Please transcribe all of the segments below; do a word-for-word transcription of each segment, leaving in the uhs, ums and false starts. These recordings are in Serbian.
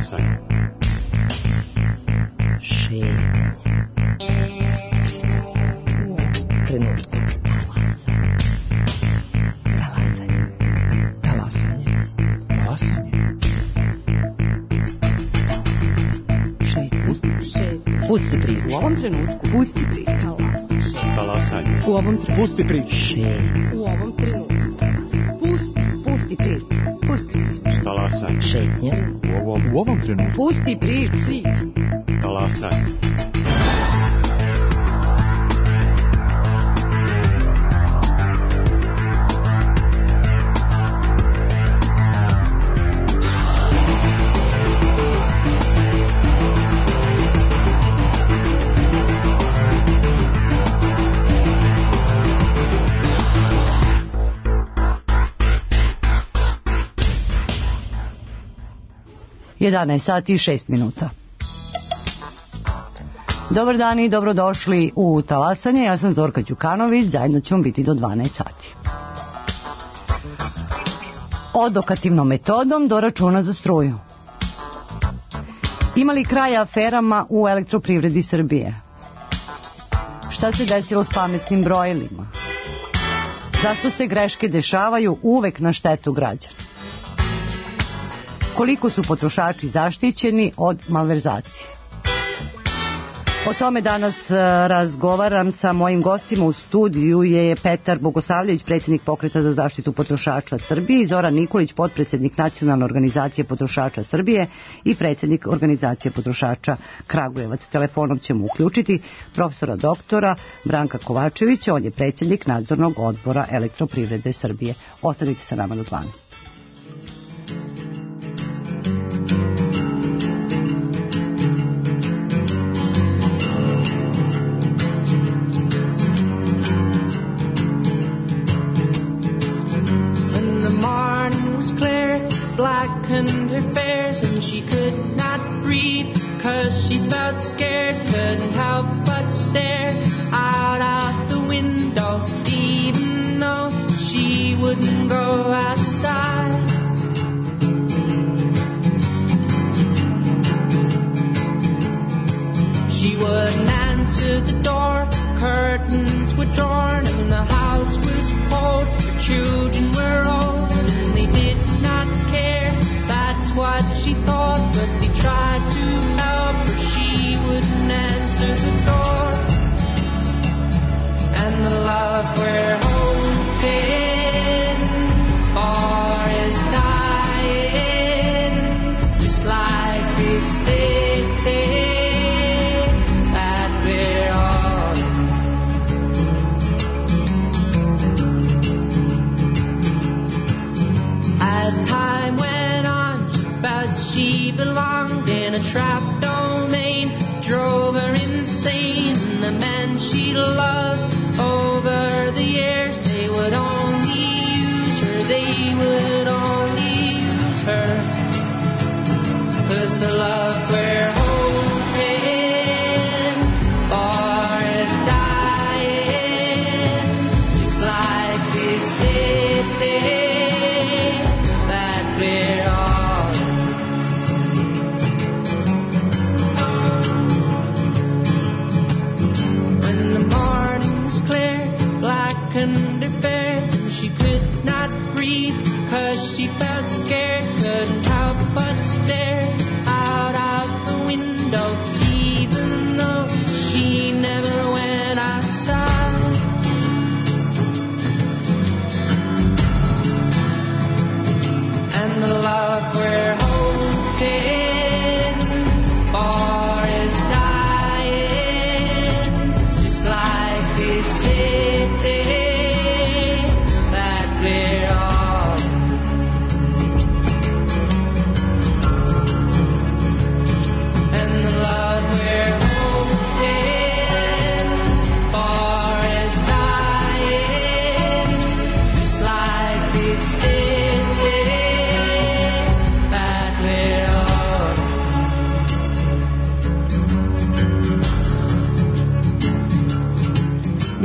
Talasanje. Šetnja. Trenutku. Talasanje. Talasanje. Talasanje. Šetnja. Šetnja. Pusti priču. U ovom trenutku. Pusti priču. Talasanje. U ovom trenutku. Pusti priču. Šetnja. U ovom trenutku. Pusti, pusti priču. Pusti priču. Talasanje. Šetnja. U ovom, U ovom trenutku. Pusti priču. talasanje. jedanaest sati i šest minuta. Dobar dan i dobrodošli u Talasanje. Ja sam Zorka Đukanović, zajedno ćemo biti do dvanaest sati. Odokativnom metodom do računa za struju. Ima li kraja aferama u elektroprivredi Srbije? Šta se desilo s pametnim brojilima? Zašto se greške dešavaju uvek na štetu građana? Koliko su potrošači zaštićeni od malverzacije? O tome danas razgovaram sa mojim gostima. U studiju je Petar Bogosavljević, predsjednik Pokreta za zaštitu potrošača Srbije, i Zoran Nikolić, potpredsjednik Nacionalne organizacije potrošača Srbije i predsjednik organizacije potrošača Kragujevac. Telefonom ćemo uključiti profesora doktora Branka Kovačevića, on je predsjednik nadzornog odbora Elektroprivrede Srbije. Ostanite sa nama do dvanaest. Blackened her fares and she could not breathe, 'cause she felt scared, couldn't help but stare out of the window, even though she wouldn't go outside. She wouldn't answer the door, curtains were torn and the house was cold, her children were old and they did not care. That's what she thought, but they tried to help her. She wouldn't answer the door. And the love we're hoping for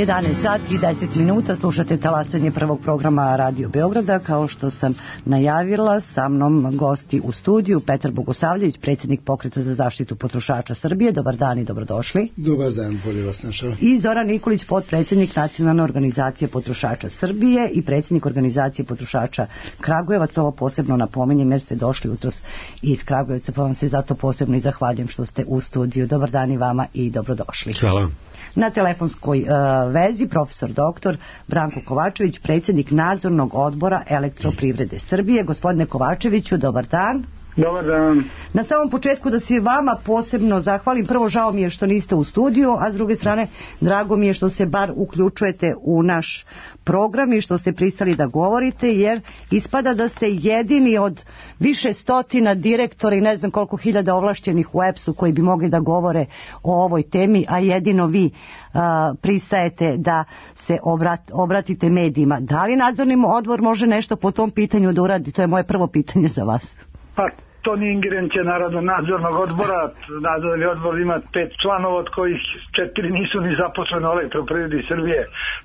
jedanaest sati i deset minuta, slušate talasanje prvog programa Radio Beograda. Kao što sam najavila, sa mnom gosti u studiju Petar Bogosavljević, predsjednik Pokreta za zaštitu potrošača Srbije. Dobar dan i dobrodošli. Dobar dan, bolje vas našao. I Zoran Nikolić, potpredsjednik Nacionalne organizacije potrošača Srbije i predsjednik organizacije potrošača Kragujevac. Ovo posebno napominjem jer ste došli jutros iz Kragujevca, pa vam se zato posebno i zahvaljujem što ste u studiju. Dobar dan i vama i dobrodošli. Hvala. Na telefonskoj uh, vezi profesor doktor Branko Kovačević, predsjednik nadzornog odbora Elektroprivrede Srbije. Gospodine Kovačeviću, dobar dan. Dobar dan. Na samom početku da se vama posebno zahvalim. Prvo, žao mi je što niste u studiju, a s druge strane drago mi je što se bar uključujete u naš program i što ste pristali da govorite, jer ispada da ste jedini od više stotina direktora i ne znam koliko hiljada ovlašćenih u E P S-u koji bi mogli da govore o ovoj temi, a jedino vi a, pristajete da se obrat, obratite medijima. Da li nadzorni odbor može nešto po tom pitanju da uradi? To je moje prvo pitanje za vas. Pa to nije ingerencija naravno nadzornog odbora. Nadzorni odbor ima pet članova, od kojih četiri nisu ni zaposleni u Elektroprivredi Srbije.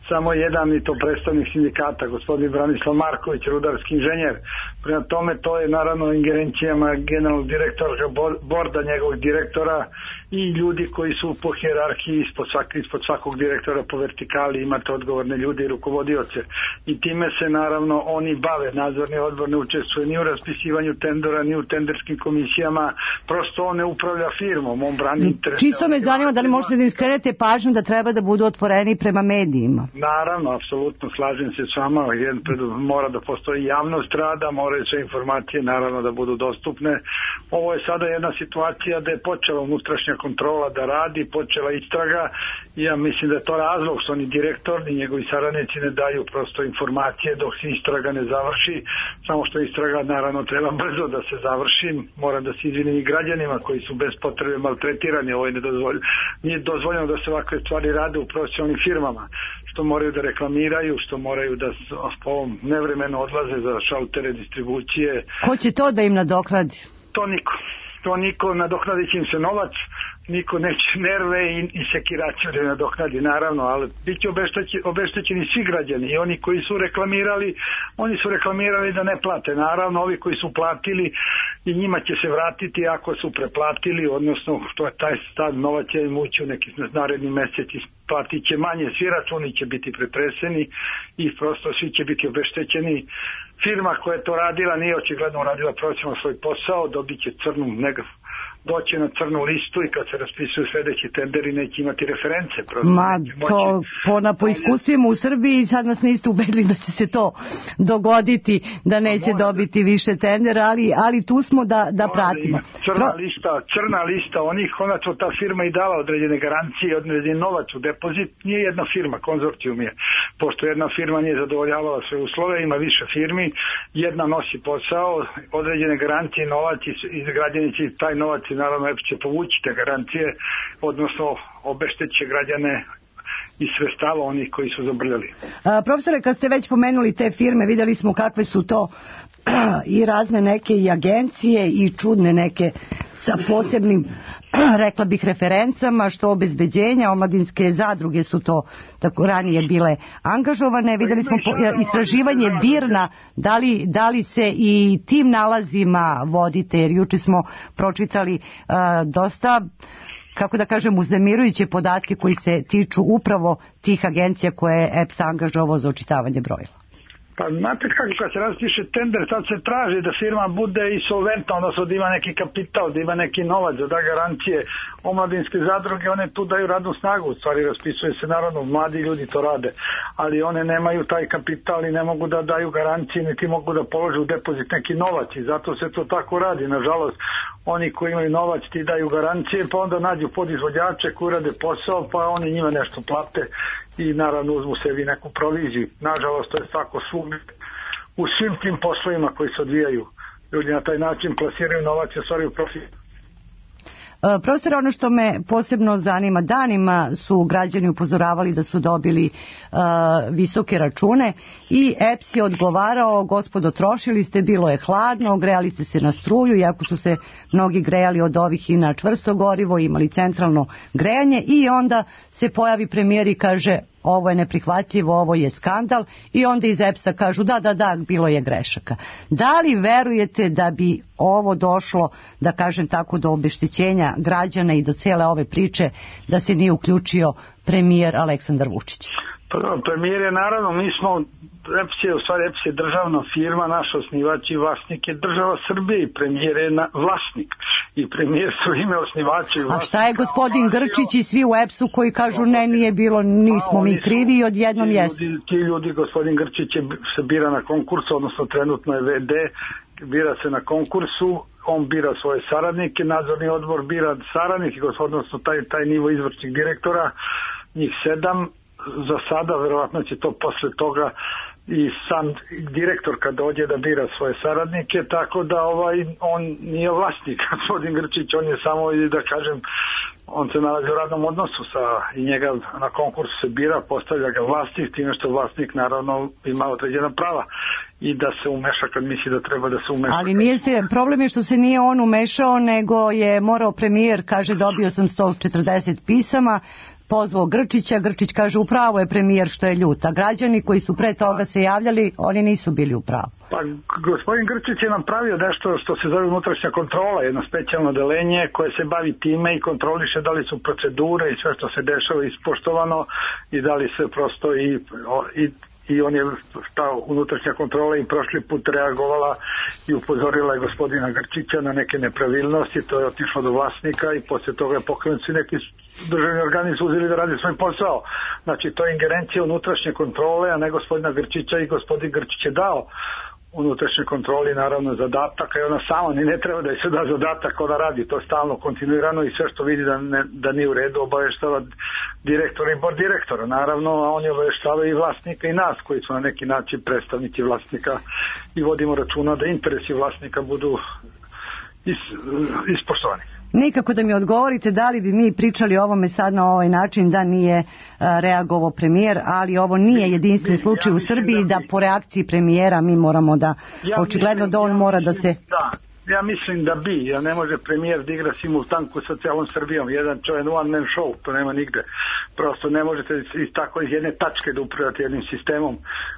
Samo jedan i to predstavnik sindikata, gospodin Branislav Marković, rudarski inženjer. Prema tome to je naravno ingerencijama generalnog direktora, borda njegovog direktora i ljudi koji su po hijerarhiji ispod, svak, ispod svakog direktora po vertikali, imate odgovorne ljude i rukovodioce. I time se naravno oni bave. Nadzorni odbor ne učestvuje ni u raspisivanju tendera, ni u tenderskim komisijama, prosto on ne upravlja firmom, on brani interes. Čisto me zanima da li možete da im skrenete pažnju da treba da budu otvoreni prema medijima. Naravno, apsolutno, slažem se s vama, jedan mora da postoji javnost rada, moraju sve informacije naravno da budu dostupne. Ovo je sada jedna situacija da je počela unutrašnja kontrola da radi, počela istraga i ja mislim da je to razlog što ni direktor ni njegovi saradnici ne daju prosto informacije dok se istraga ne završi, samo što istraga naravno treba brzo da se završi. Moram da se izvinim i građanima koji su bez potrebe maltretirani. Ovo je nedozvoljeno. Nije dozvoljeno da se ovakve stvari rade u profesionalnim firmama, što moraju da reklamiraju, što moraju da po ovom nevremenu odlaze za šaltere distribucije. Ko će to da im nadoknadi? To niko. To niko, nadoknadit će im se novac, niko neće nerve i, i sekiraciju da nadoknadi, naravno, ali bit će obeštećeni, obeštećeni svi građani i oni koji su reklamirali, oni su reklamirali da ne plate. Naravno, ovi koji su platili i njima će se vratiti ako su preplatili, odnosno što je taj stav, novac će im ući u neki naredni mjesec, platit će manje, svi računi će biti pretreseni i prosto svi će biti obeštećeni. Firma koja je to radila nije očigledno radila profesionalno svoj posao, dobit će crnu negativnu, doći na crnu listu i kad se raspisuju sljedeći tenderi neće imati reference. Ma to po, na, po iskustvima u Srbiji sad nas niste ubedili da će se to dogoditi, da neće Mora dobiti da... više tendera, ali, ali tu smo da, da pratimo. Crna, Pro... lista, crna lista onih, konačno ta firma i dala određene garancije, određen novac u depozit, nije jedna firma, konzorcijum je. Pošto jedna firma nije zadovoljavala sve uslove, ima više firmi, jedna nosi posao, određene garancije, novac i građani će taj novac naravno E P S će povući te garancije, odnosno obešteće građane i sredstava onih koji su zabrljali. A, profesore, kad ste već pomenuli te firme, vidjeli smo kakve su to i razne neke i agencije i čudne neke sa posebnim, rekla bih, referencama, što obezbeđenja, omladinske zadruge su to tako ranije bile angažovane. Vidjeli smo po, istraživanje Birna, da li, da li se i tim nalazima vodite, jer juče smo pročitali uh, dosta, kako da kažem, uznemirujuće podatke koji se tiču upravo tih agencija koje je E P S angažovao za očitavanje brojila. Pa znate kako, kad se raspiše tender, sad se traži da firma bude insolventna, odnosno da ima neki kapital, da ima neki novac, da da garancije. Omladinske zadruge, one tu daju radnu snagu, u stvari raspisuje se naravno, mladi ljudi to rade, ali one nemaju taj kapital i ne mogu da daju garancije, niti mogu da polože u depozit neki novac i zato se to tako radi. Nažalost, oni koji imaju novac ti daju garancije, pa onda nađu podizvođače koji rade posao, pa oni njima nešto plate i naravno uzmu sebi neku proviziju. Nažalost, to je tako svugdje u svim tim poslovima koji se odvijaju. Ljudi na taj način plasiraju novac i ostvaruju profit. Profesor, ono što me posebno zanima, danima su građani upozoravali da su dobili uh, visoke račune i E P S je odgovarao: gospodo, trošili ste, bilo je hladno, grejali ste se na struju, iako su se mnogi grejali od ovih i na čvrsto gorivo, imali centralno grejanje, i onda se pojavi premijer i kaže: ovo je neprihvatljivo, ovo je skandal i onda iz E P S-a kažu da, da, da, bilo je grešaka. Da li verujete da bi ovo došlo, da kažem tako, do obeštećenja građana i do cijele ove priče da se nije uključio premijer Aleksandar Vučić? Pa da, premijer je naravno, mi smo, E P S je, u stvari E P S je državna firma, naš osnivač i vlasnik je država Srbije i premijer je na, vlasnik. I premijer su ime osnivača i vlasnika. A šta je gospodin Grčić i svi u E P S-u koji kažu ne, nije bilo, nismo mi krivi i odjednom jesu? Ti, ti ljudi, gospodin Grčić je, se bira na konkursu, odnosno trenutno je V D, bira se na konkursu, on bira svoje saradnike, nadzorni odbor bira saradnike, odnosno taj, taj nivo izvršnih direktora, njih sedam. Za sada, verovatno će to posle toga i sam direktor kad dođe da bira svoje saradnike, tako da ovaj on nije vlasnik, gospodin Grčić, on je samo, da kažem, on se nalazi u radnom odnosu sa, i njega na konkursu se bira, postavlja ga vlasnik, time što vlasnik naravno ima određena prava i da se umeša kad misli da treba da se umeša. Ali nije se, problem je što se nije on umešao, nego je morao premijer, kaže dobio sam sto četrdeset pisama, pozvao Grčića, Grčić kaže upravo je premijer što je ljut, a građani koji su pre toga se javljali, oni nisu bili upravo. Pa gospodin Grčić je napravio nešto što se zove unutrašnja kontrola, jedno specijalno odeljenje koje se bavi time i kontroliše da li su procedure i sve što se dešava ispoštovano i da li se prosto i, i i on je, ta unutrašnja kontrola i prošli put reagovala i upozorila je gospodina Grčića na neke nepravilnosti, to je otišlo do vlasnika i poslije toga je pokrenuti neki državni organi su uzeli da radi svoj posao. Znači to je ingerencija unutrašnje kontrole, a ne gospodina Grčića, i gospodin Grčić je dao unutrašnje kontroli naravno zadatak, i ona sama ni ne treba da je se da zadatak, ona radi to stalno, kontinuirano i sve što vidi da, ne, da nije u redu obaveštava direktora i bord direktora, naravno, a oni obaveštavaju i vlasnika i nas koji su na neki način predstavnici vlasnika i vodimo računa da interesi vlasnika budu is, ispoštovani. Nikako da mi odgovorite da li bi mi pričali o ovome sad na ovaj način da nije a, reagovao premijer, ali ovo nije jedinstven slučaj ja u Srbiji da, da po reakciji premijera mi moramo da, ja očigledno da on ja mora da se... Da. Ja mislim da bi, ja ne može premijer da igra simultanku sa celom Srbijom, jedan čovjek one man show, to nema nigde. Prosto ne možete iz tako iz jedne tačke da upravljate jednim sistemom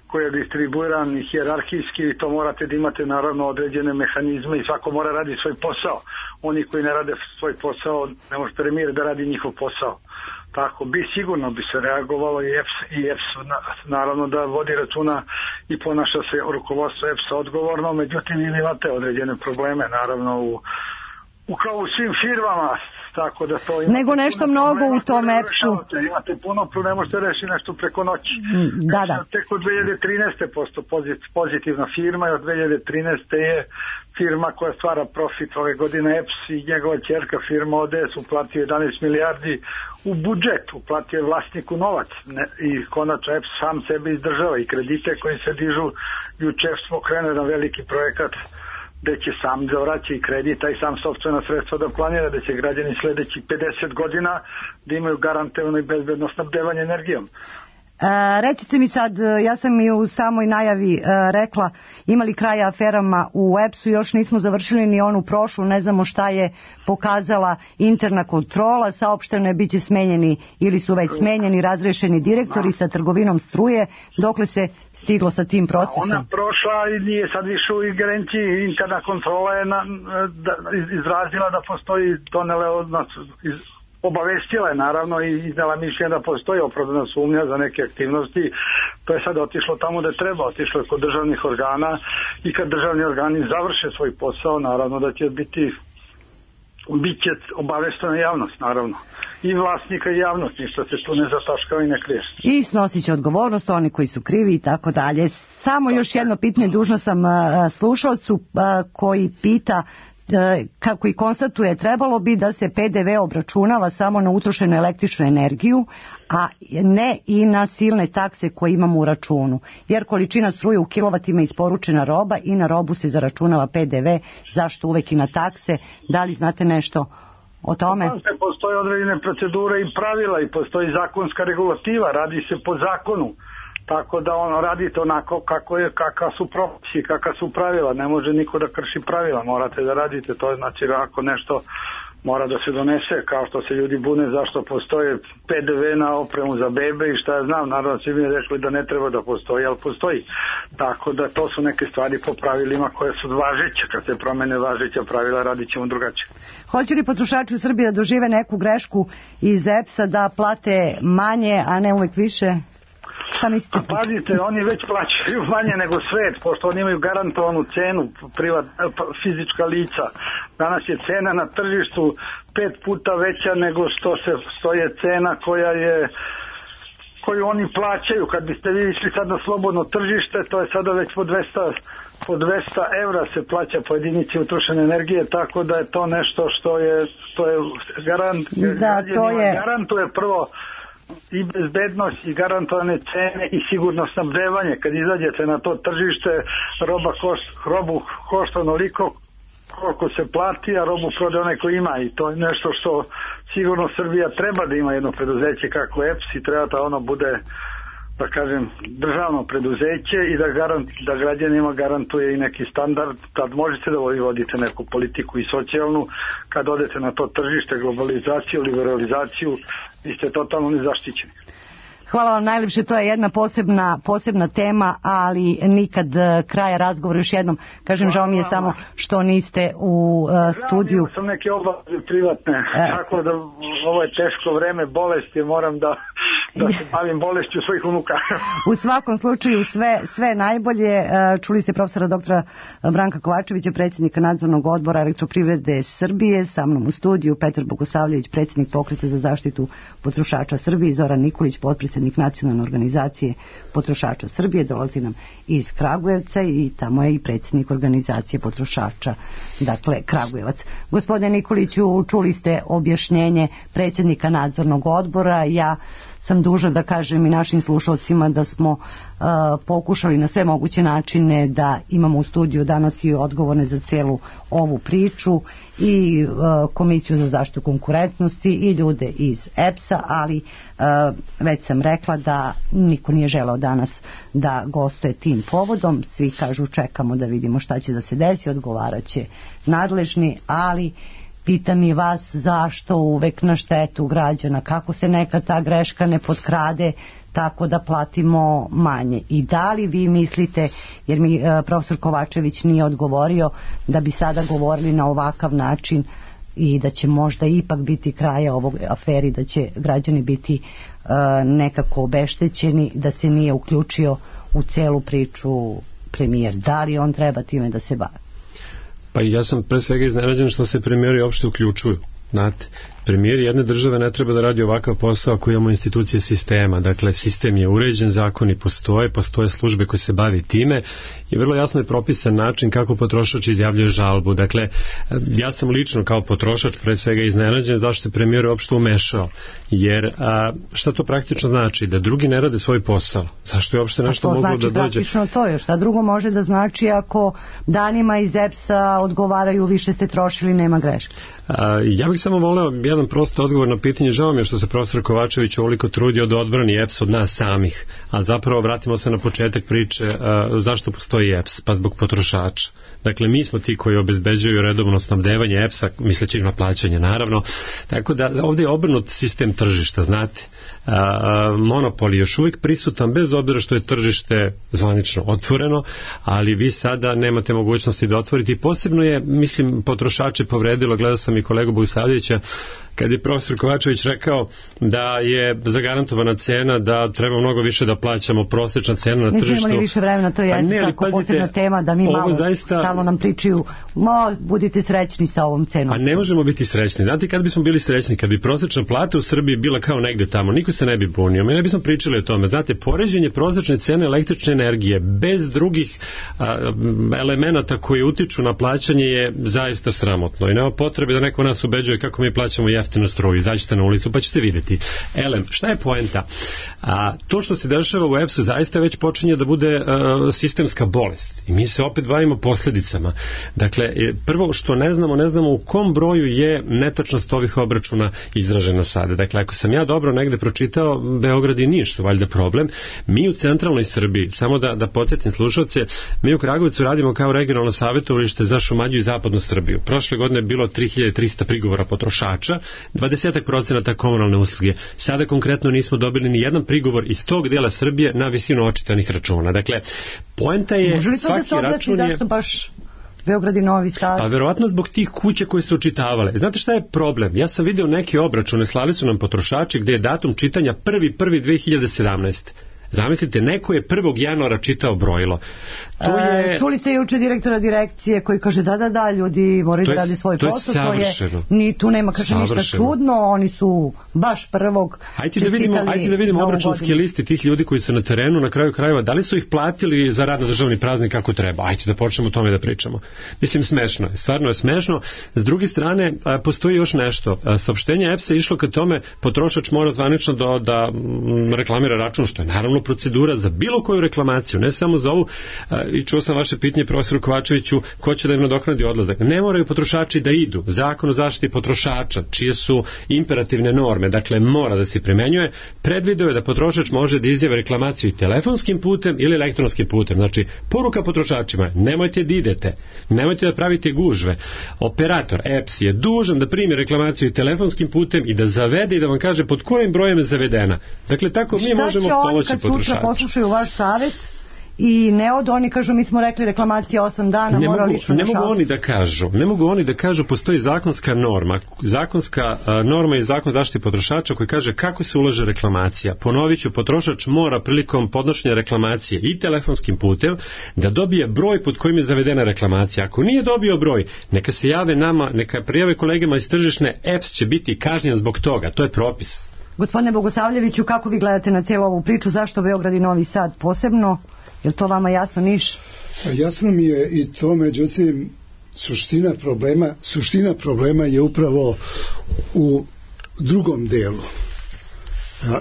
koji je distribuiran i hijerarhijski, i to morate da imate naravno određene mehanizme i svako mora radi svoj posao. Oni koji ne rade svoj posao, ne može premijer da radi njihov posao. Tako bi, sigurno bi se reagovalo i E P S, i E P S naravno da vodi računa i ponaša se rukovodstvo E P S-a odgovorno, međutim ili imate određene probleme naravno u, u kao u svim firmama, tako da to imate nego nešto mnogo u tom E P S-u. Imate puno, ne možete rešiti nešto preko noći. Da, da. Tek od dve hiljade trinaeste posto pozitivna firma i od dve hiljade trinaeste je firma koja stvara profit ove godine. E P S i njegova ćerka firma O D S uplatio jedanaest milijardi u budžet, uplatio je vlasniku novac, ne, i konačno E P S sam sebe izdržava i kredite koji se dižu. Jučer smo krenuli na veliki projekat gde će sam da vraća i kredita i sam sopstvena sredstva da planira, da će građani sledeći pedeset godina da imaju garantovano i bezbedno snabdevanje energijom. E, recite mi sad, ja sam i u samoj najavi e, rekla, imali kraja aferama u E P S-u, još nismo završili ni onu prošlu, ne znamo šta je pokazala interna kontrola, saopšteno je bit će smenjeni ili su već smenjeni, razrešeni direktori sa trgovinom struje, dokle se stiglo sa tim procesom? Ona prošla i nije sad više u ingerenciji, interna kontrola je na, da, izrazila da postoji, donele od nas iz, obavestila je naravno i iznela mišljenje da postoji opravdana sumnja za neke aktivnosti. To je sad otišlo tamo da treba, otišlo je kod državnih organa i kad državni organi završe svoj posao, naravno da će biti bit će obaveštena javnost, naravno. I vlasnika i javnost, ništa se tu ne zataškava i ne krije. I snosit će odgovornost oni koji su krivi i tako dalje. Samo još jedno pitanje, dužna sam slušalcu koji pita, kako i konstatuje, trebalo bi da se P D V obračunava samo na utrošenu električnu energiju, a ne i na silne takse koje imamo u računu. Jer količina struje u kilovatima je isporučena roba i na robu se zaračunava P D V, zašto uvek i na takse? Da li znate nešto o tome? Postoje određene procedure i pravila i postoji zakonska regulativa, radi se po zakonu. Tako da ono radite onako kako je, kakav su propisi, kakav su pravila, ne može niko da krši pravila, morate da radite, to je znači ako nešto mora da se donese, kao što se ljudi bune zašto postoje P D V na opremu za bebe i šta ja znam, naravno svi mi je rekli da ne treba da postoji, ali postoji. Tako da to su neke stvari po pravilima koje su važeće, kad se promene važeća pravila radit ćemo drugačije. Hoće li potrošači u Srbiji da dožive neku grešku iz E P S-a da plate manje, a ne uvek više? Šta mislite? A pazite, oni već plaćaju manje nego svet, pošto oni imaju garantovanu cenu, privat, fizička lica. Danas je cena na tržištu pet puta veća nego što se što je cena koja je koju oni plaćaju. Kad biste vi išli sad na slobodno tržište, to je sada već po dvesta, po dvesta evra se plaća po jedinici utrošene energije, tako da je to nešto što je, to je garant, da, to je... garantuje prvo i bezbednost i garantovane cene i sigurno snabdevanje. Kad izađete na to tržište, roba košt, robu košta onoliko koliko se plati, a robu prode onaj ko ima, i to je nešto što sigurno Srbija treba da ima jedno preduzeće kako E P S i treba da ono bude, da kažem, državno preduzeće i da, garant, da građanima garantuje i neki standard, kad možete da vodite neku politiku i socijalnu, kad odete na to tržište, globalizaciju, liberalizaciju, vi ste totalno nezaštićeni. Hvala vam najljepše, to je jedna posebna, posebna tema, ali nikad kraja razgovora. Još jednom kažem, žao mi je samo što niste u uh, studiju. Žao, sam neke obaveze privatne, e. tako da ovo je teško vreme, bolesti, moram da, da se bavim bolešću svojih unuka. U svakom slučaju sve, sve najbolje. Čuli ste profesora doktora Branka Kovačevića, predsjednika nadzornog odbora Elektroprivrede Srbije, sa mnom u studiju Petar Bogosavljević, predsjednik Pokreta za zaštitu potrošača Srbije, Zoran Nikolić, potpredsjednik Nacionalne organizacije potrošača Srbije, dolazi nam iz Kragujevca i tamo je i predsjednik organizacije potrošača, dakle Kragujevac. Gospodine Nikoliću, čuli ste objašnjenje predsjednika nadzornog odbora. Ja sam dužna da kažem i našim slušalcima da smo uh, pokušali na sve moguće načine da imamo u studiju danas i odgovorne za celu ovu priču i uh, Komisiju za zaštitu konkurentnosti i ljude iz E P S-a, ali uh, već sam rekla da niko nije želeo danas da gostuje tim povodom. Svi kažu čekamo da vidimo šta će da se desi, odgovaraće nadležni, ali pitam i vas zašto uvek na štetu građana, kako se neka ta greška ne potkrade tako da platimo manje. I da li vi mislite, jer mi e, profesor Kovačević nije odgovorio, da bi sada govorili na ovakav način i da će možda ipak biti kraja ovog aferi, da će građani biti e, nekako obeštećeni, da se nije uključio u celu priču premijer? Da li on treba time da se bavi? Pa ja sam pre svega iznenađen što se premijeri uopšte uključuju. Znate, premijeri jedne države ne treba da radi ovakav posao ako imamo institucije sistema. Dakle, sistem je uređen, zakoni postoje, postoje službe koje se bavi time i vrlo jasno je propisan način kako potrošač izjavljuje žalbu. Dakle, ja sam lično kao potrošač pre svega iznenađen zašto se premijer uopšte umešao. Jer a, šta to praktično znači? Da drugi ne rade svoj posao. Zašto je uopšte nešto moglo znači da dođe? To znači praktično to je. Šta drugo može da znači ako danima iz E P S-a odgovaraju više ste trošili, nema greške? A, ja bih samo voleo jedan prosto odgovor na pitanje. Žao mi je što se profesor Kovačević ovoliko trudio da odbrani E P S od nas samih, a zapravo vratimo se na početak priče a, zašto postoji E P S, pa zbog potrošača. Dakle, mi smo ti koji obezbeđuju redovno snabdevanje E P S-a, misleći na plaćanje naravno, tako da ovdje je obrnut sistem tržišta, znate. A, a, monopol je još uvijek prisutan bez obzira što je tržište zvanično otvoreno, ali vi sada nemate mogućnosti da otvorite i posebno je, mislim, potrošače povredilo, gledao sam i kolegu Bogosavljevića, kad je profesor Kovačević rekao da je zagarantovana cena, da treba mnogo više da plaćamo, prosječna cena na tržištu. Nismo imali više vremena, to je ne, tako pazite, posebna tema da mi malo zaista stalno nam pričaju, mo, budite srećni sa ovom cenom. A ne možemo biti srećni. Znate, kad bismo bili srećni, kad bi prosječna plata u Srbiji bila kao negde tamo, niko se ne bi bunio. Mi ne bismo pričali o tome. Znate, poređenje prosječne cene električne energije bez drugih a, elemenata koji utiču na plaćanje je zaista sramotno i nema potrebe da neko nas ubeđuje kako mi plaćamo jeftino jeftinu struju. Izađite na ulicu pa ćete vidjeti. Elem, šta je poenta? A, to što se dešava u E P S-u zaista već počinje da bude a, sistemska bolest. I mi se opet bavimo posljedicama. Dakle, prvo što ne znamo, ne znamo u kom broju je netačnost ovih obračuna izražena sada. Dakle, ako sam ja dobro negde pročitao, Beograd i Niš su valjda problem. Mi u centralnoj Srbiji, samo da, da podsjetim slušalce, mi u Kragujevcu radimo kao regionalno savjetovalište za Šumadiju i zapadnu Srbiju. Prošle godine je bilo tri hiljade trista prigovora potrošača, dvadeset procenata komunalne usluge. Sada konkretno nismo dobili ni jedan prigovor iz tog dela Srbije na visinu očitanih računa. Dakle, poenta je svaki da račun je... Zašto baš Beograd i Novi Sad? Pa verovatno zbog tih kuća koje su očitavale. Znate šta je problem? Ja sam video neke obračune, slali su nam potrošači gde je datum čitanja prvi prvi dve hiljade sedamnaeste. Zamislite, neko je prvog januara čitao brojilo. To je... E, čuli ste juče direktora direkcije koji kaže da, da, da, ljudi moraju da radi svoj posao. To je savršeno. Ni, tu nema, kaže, savršeno. Ništa čudno, oni su baš prvog Hajde da vidimo, hajde da vidimo obračunske listi tih ljudi koji su na terenu, na kraju krajeva, da li su ih platili za rad na državni praznik kako treba? Hajde da počnemo o tome da pričamo. Mislim, smešno je, stvarno je smešno. S druge strane, postoji još nešto. Saopštenje E P S-a je išlo ka tome, potrošač mora zvanično da, da reklamira račun, što je naravno procedura za bilo koju reklamaciju, ne samo za ovu. I čuo sam vaše pitanje profesoru Kovačeviću, ko će da im nadoknadi odlazak. Ne moraju potrošači da idu. Zakon o zaštiti potrošača, čije su imperativne norme, dakle mora da se primenjuje, predvideo je da potrošač može da izjave reklamaciju i telefonskim putem ili elektronskim putem. Znači, poruka potrošačima, nemojte da idete, nemojte da pravite gužve. Operator E P S je dužan da primi reklamaciju i telefonskim putem i da zavede i da vam kaže pod kojim brojem je zavedena. Dakle, tako mi možemo pomoći potrošaču. Šta će oni kad sutra poslušaju vaš savjet i ne od oni kažu mi smo rekli reklamacija osam dana, ne mora mogu, lično ne na mogu oni da kažu, ne mogu oni da kažu, postoji zakonska norma, zakonska a, norma i zakon zaštite potrošača koji kaže kako se ulaže reklamacija. Ponovit ću, potrošač mora prilikom podnošenja reklamacije i telefonskim putem da dobije broj pod kojim je zavedena reklamacija. Ako nije dobio broj, neka se jave nama, neka prijave kolegama iz tržišne, E P S će biti kažnjen zbog toga, to je propis. Gospodine Bogosavljeviću, kako vi gledate na cijelu ovu priču, zašto Beograd i Novi Sad posebno? Je li to vama jasno, Niš? Jasno mi je i to, međutim, suština problema, suština problema je upravo u drugom delu.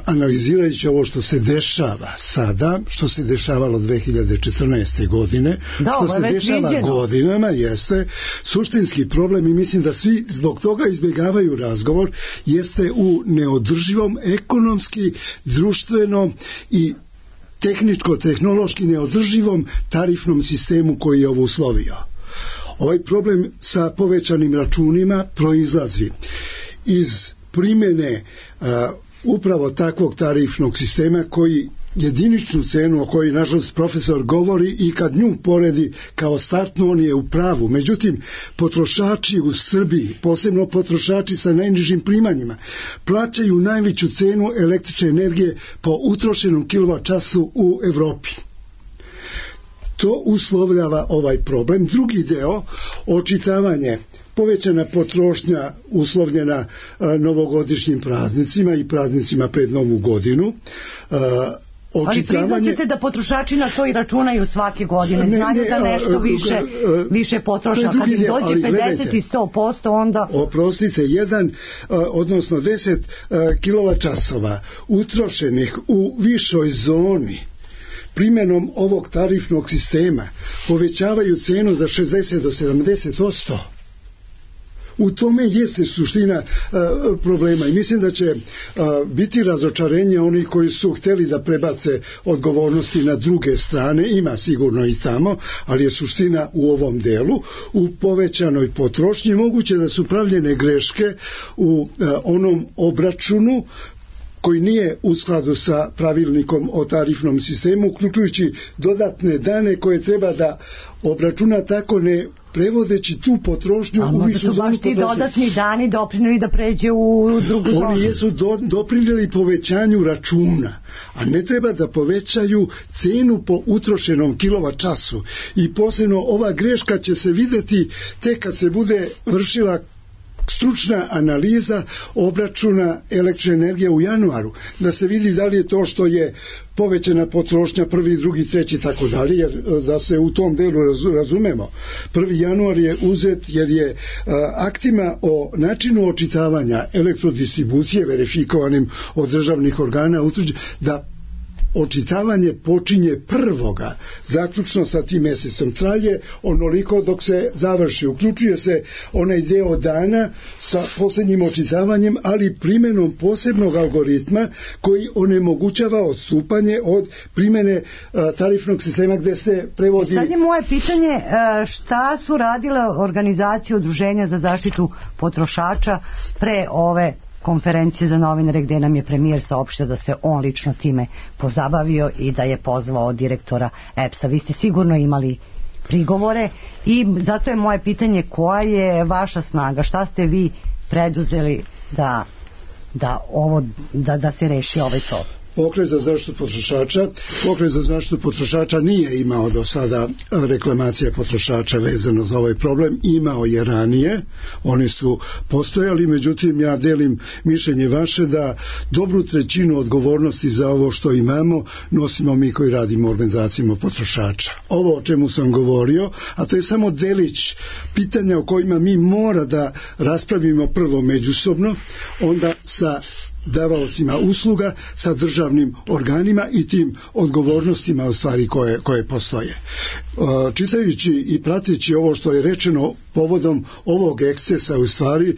Analizirajući ovo što se dešava sada, što se dešavalo dve hiljade četrnaeste. godine, da, što se dešava viđeno. godinama, jeste suštinski problem i mislim da svi zbog toga izbjegavaju razgovor, jeste u neodrživom ekonomski, društveno i tehničko-tehnološki neodrživom tarifnom sistemu koji je ovo uslovio. Ovaj problem sa povećanim računima proizlazi iz primjene uh, upravo takvog tarifnog sistema koji jediničnu cenu o kojoj nažalost profesor govori i kad nju poredi kao startnu, on je u pravu. Međutim, potrošači u Srbiji, posebno potrošači sa najnižim primanjima, plaćaju najveću cenu električne energije po utrošenom kilovat času u Evropi. To uslovljava ovaj problem. Drugi deo, očitavanje, povećana potrošnja uslovljena a, novogodišnjim praznicima i praznicima pred Novu godinu. A, Ali priznaćete da potrošači na to i računaju svake godine, znaju da nešto više, više potroša. Kad im dođe pedeset i sto posto onda... Oprostite, jedan, odnosno deset kilovat časova utrošenih u višoj zoni primjenom ovog tarifnog sistema povećavaju cenu za šezdeset do sedamdeset posto. U tome jeste suština uh, problema i mislim da će uh, biti razočarenje onih koji su htjeli da prebace odgovornosti na druge strane, ima sigurno i tamo, ali je suština u ovom delu, u povećanoj potrošnji. Moguće da su pravljene greške u uh, onom obračunu koji nije u skladu sa pravilnikom o tarifnom sistemu, uključujući dodatne dane koje treba da obračuna tako ne prevodeći tu potrošnju a u višu zonu potrošnje. A možda su baš ti dodatni dani doprinili da pređe u drugu zonu? Oni jesu do, doprinili povećanju računa, a ne treba da povećaju cenu po utrošenom kilovat času. I posebno ova greška će se videti tek kad se bude vršila stručna analiza obračuna električne energije u januaru, da se vidi da li je to što je povećana potrošnja prvi, drugi, treći, tako dalje, jer da se u tom delu razumemo. Prvi januar je uzet jer je aktima o načinu očitavanja elektrodistribucije verifikovanim od državnih organa utvrđeno da očitavanje počinje prvoga, zaključno sa tim mesecom, traje onoliko dok se završi. Uključuje se onaj deo dana sa posljednjim očitavanjem, ali primjenom posebnog algoritma koji onemogućava odstupanje od primjene tarifnog sistema gdje se prevodi. Sad je moje pitanje, šta su radile organizacije udruženja za zaštitu potrošača pre ove konferencije za novinare gdje nam je premijer saopštio da se on lično time pozabavio i da je pozvao direktora E P S-a. Vi ste sigurno imali prigovore i zato je moje pitanje koja je vaša snaga, šta ste vi preduzeli da, da, ovo, da, da se reši ovaj to? Pokret za zaštitu potrošača Pokret za zaštitu potrošača nije imao do sada reklamacije potrošača vezano za ovaj problem, imao je ranije, oni su postojali, međutim ja delim mišljenje vaše da dobru trećinu odgovornosti za ovo što imamo nosimo mi koji radimo u organizacijama potrošača. Ovo o čemu sam govorio, a to je samo delić pitanja o kojima mi mora da raspravimo prvo međusobno, onda sa davaocima usluga, sa državnim organima i tim odgovornostima u stvari koje, koje postoje. Čitajući i prateći ovo što je rečeno povodom ovog ekscesa u stvari,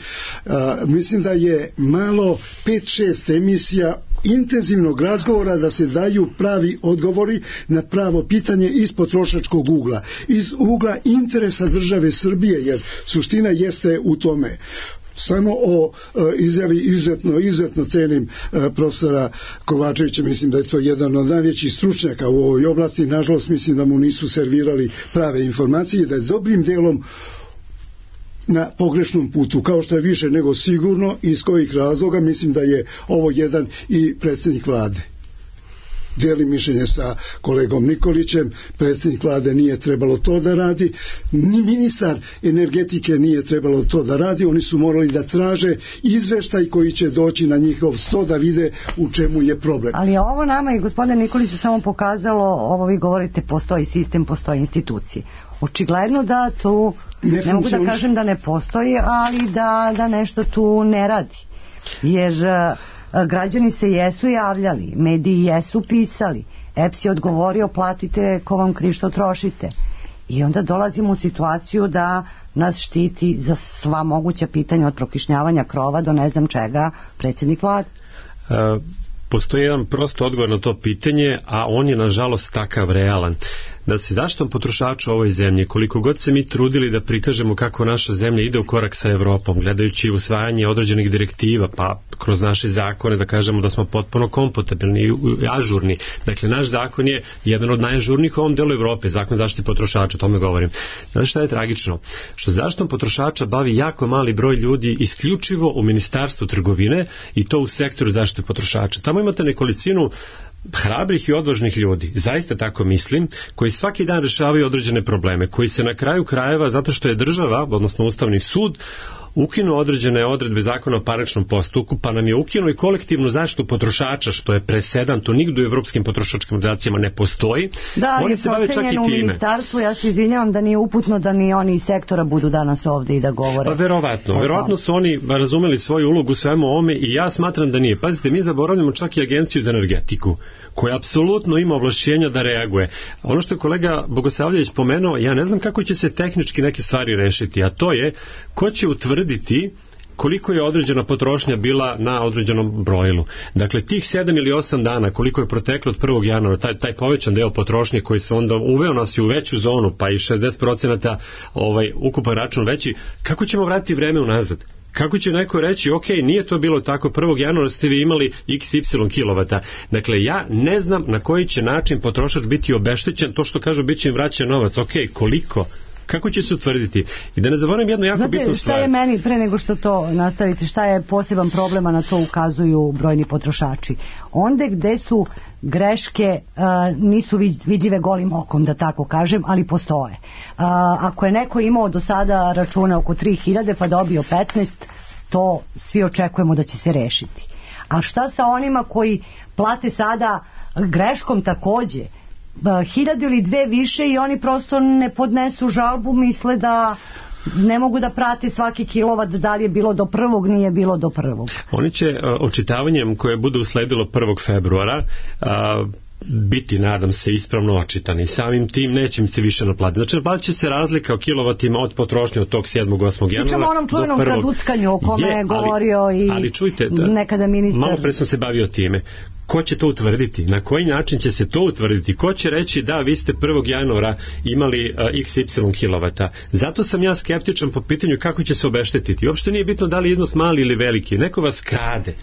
mislim da je malo pet šest emisija intenzivnog razgovora da se daju pravi odgovori na pravo pitanje iz potrošačkog ugla, iz ugla interesa države Srbije, jer suština jeste u tome. Samo o e, izjavi izuzetno, izuzetno cenim e, profesora Kovačevića, mislim da je to jedan od najvećih stručnjaka u ovoj oblasti, nažalost mislim da mu nisu servirali prave informacije, da je dobrim delom na pogrešnom putu, kao što je više nego sigurno, iz kojih razloga mislim da je ovo jedan i predsjednik vlade. Delim mišljenje sa kolegom Nikolićem, predsjednik vlade nije trebalo to da radi, ni ministar energetike nije trebalo to da radi, oni su morali da traže izveštaj koji će doći na njihov sto da vide u čemu je problem. Ali ovo nama i gospodine Nikoliću samo pokazalo, ovo vi govorite, postoji sistem, postoji institucije. Očigledno da tu, ne, ne mogu da kažem da ne postoji, ali da, da nešto tu ne radi. Jer građani se jesu javljali, mediji jesu pisali, E P S je odgovorio platite ko vam kriv što trošite. I onda dolazimo u situaciju da nas štiti za sva moguća pitanja od prokišnjavanja krova do ne znam čega predsjednik vlade. Uh, postoji jedan prost odgovor na to pitanje, a on je nažalost takav realan. Da se zaštitom potrošača u ovoj zemlji, koliko god se mi trudili da prikažemo kako naša zemlja ide u korak sa Evropom, gledajući usvajanje određenih direktiva, pa kroz naše zakone da kažemo da smo potpuno kompatibilni i ažurni. Dakle, naš zakon je jedan od najažurnijih u ovom delu Evrope, zakon zaštite potrošača, o tome govorim. Znate šta je tragično? Što zaštitom potrošača bavi jako mali broj ljudi isključivo u Ministarstvu trgovine i to u sektoru zaštite potrošača. Tamo imate nekolicinu hrabrih i odvažnih ljudi, zaista tako mislim, koji svaki dan rešavaju određene probleme, koji se na kraju krajeva, zato što je država, odnosno Ustavni sud, ukinuo određene odredbe zakona o parničnom postupku, pa nam je ukinuo i kolektivnu zaštitu potrošača, što je presedan, to nigde u evropskim potrošačkim organizacijama ne postoji. Da, oni se bave čak i time. U ministarstvu, ja se izvinjavam da nije uputno da ni oni iz sektora budu danas ovde i da govore. Pa verovatno, verovatno su oni razumeli svoju ulogu svemu ovome i ja smatram da nije. Pazite, mi zaboravljamo čak i Agenciju za energetiku, koja apsolutno ima ovlašćenja da reaguje. Ono što je kolega Bogosavljević pomenuo, ja ne znam kako će se tehnički neke stvari rešiti, a to je ko će utvrditi koliko je određena potrošnja bila na određenom brojilu. Dakle, tih sedam ili osam dana koliko je proteklo od prvog januara, taj, taj povećan deo potrošnje koji se onda uveo nas i u veću zonu, pa i šezdeset procenata ovaj, ukupan račun veći, kako ćemo vratiti vreme unazad? Kako će neko reći, ok, nije to bilo tako, prvog januara ste vi imali iks ipsilon kilovata. Dakle, ja ne znam na koji će način potrošač biti obeštećen, to što kažu bit će im vraćan novac, ok, koliko? Kako će se utvrditi? I da ne zaboravim jednu jako Znate, bitnu šta stvar. je meni, pre nego što to nastavite, šta je poseban problem, a na to ukazuju brojni potrošači? Onde gde su greške uh, nisu vidljive golim okom, da tako kažem, ali postoje. Uh, ako je neko imao do sada račune oko tri hiljade pa dobio petnaest, to svi očekujemo da će se rešiti. A šta sa onima koji plate sada greškom takođe hiljadu ili dve više i oni prosto ne podnesu žalbu, misle da ne mogu da prate svaki kilovat, da li je bilo do prvog, nije bilo do prvog. Oni će uh, očitavanjem koje bude usledilo prvog februara uh, biti, nadam se, ispravno očitani. Samim tim neće mi se više naplatiti. Znači, naplatit će se razlika o kilovatima od potrošnje od tog sedmog osmog januara. Pričamo o onom čuvenom traduckanju o kome je, je govorio ali, i ali čujte, da, nekada ministar. Malo pre sam se bavio time. Ko će to utvrditi? Na koji način će se to utvrditi? Ko će reći da vi ste prvog januara imali uh, iks ipsilon kilovata? Zato sam ja skeptičan po pitanju kako će se obeštetiti. Uopšte nije bitno da li je iznos mali ili veliki. Neko vas krade.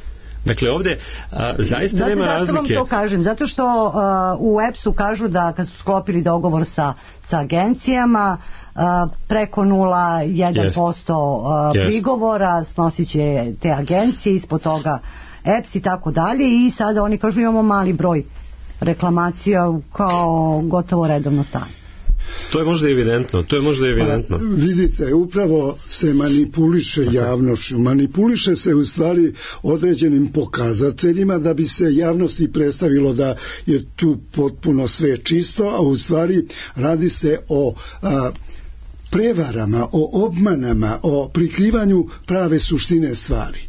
Dakle, ovde a, zaista Znate, nema razlike. Zašto vam to kažem? Zato što a, u E P S-u kažu da kad su sklopili dogovor sa, sa agencijama, a, preko nula zarez jedan posto yes. prigovora snosit će te agencije, ispod toga E P S i tako dalje, i sada oni kažu imamo mali broj reklamacija kao gotovo redovno stanje. To je možda evidentno, to je možda evidentno. Pa, vidite, upravo se manipuliše javnošću, manipuliše se u stvari određenim pokazateljima da bi se javnosti predstavilo da je tu potpuno sve čisto, a u stvari radi se o a, prevarama, o obmanama, o prikrivanju prave suštine stvari.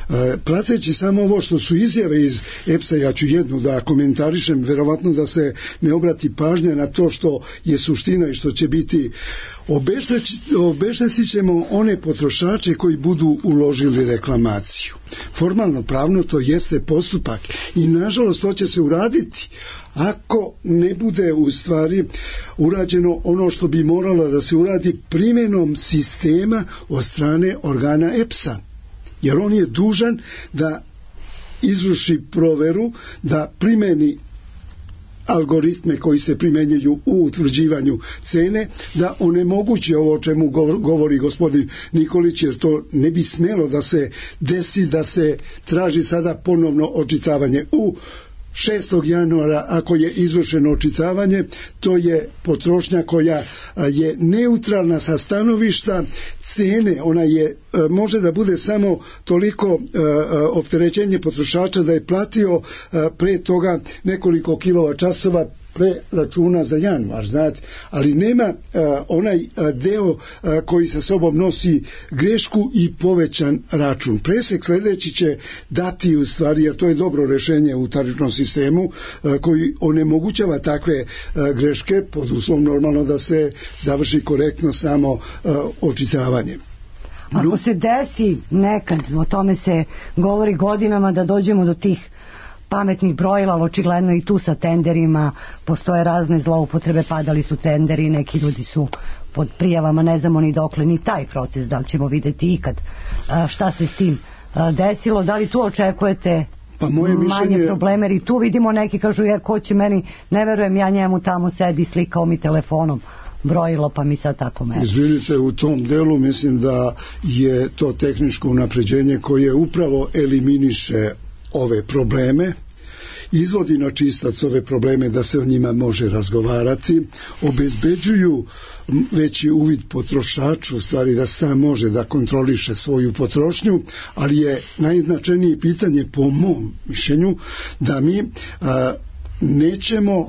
E, prateći samo ovo što su izjave iz E P S-a, ja ću jednu da komentarišem, verovatno da se ne obrati pažnja na to što je suština i što će biti. Obeštetit ćemo one potrošače koji budu uložili reklamaciju. Formalno pravno to jeste postupak i nažalost to će se uraditi ako ne bude u stvari urađeno ono što bi moralo da se uradi primjenom sistema od strane organa E P S-a. Jer on je dužan da izvrši proveru, da primeni algoritme koji se primjenjuju u utvrđivanju cene, da onemogući ovo o čemu govori gospodin Nikolić, jer to ne bi smelo da se desi, da se traži sada ponovno očitavanje. U šestog januara ako je izvršeno očitavanje, to je potrošnja koja je neutralna sa stanovišta cene, ona je može da bude samo toliko opterećenje potrošača da je platio pre toga nekoliko kilovat časova pre računa za januar, znate, ali nema uh, onaj uh, deo uh, koji sa sobom nosi grešku i povećan račun. Presek sledeći će dati u stvari, jer to je dobro rešenje u tarifnom sistemu uh, koji onemogućava takve uh, greške pod uslovom normalno da se završi korektno samo uh, očitavanje. Ako se desi nekad, o tome se govori godinama, da dođemo do tih pametnih brojila, ali očigledno i tu sa tenderima postoje razne zloupotrebe, padali su tenderi, neki ljudi su pod prijavama, ne znamo ni dokle ni taj proces, da li ćemo videti ikad šta se s tim desilo, da li tu očekujete pa moje manje mišljenje... probleme, jer i tu vidimo neki kažu, ja, ko će meni, ne verujem, ja njemu tamo sedi, slikao mi telefonom brojilo, pa mi sad tako meni. Izvinite, u tom delu mislim da je to tehničko unapređenje koje upravo eliminiše ove probleme, izvodi na čistac ove probleme da se o njima može razgovarati, obezbeđuju veći uvid potrošaču, u stvari da sam može da kontroliše svoju potrošnju, ali je najznačajnije pitanje po mom mišljenju da mi a, nećemo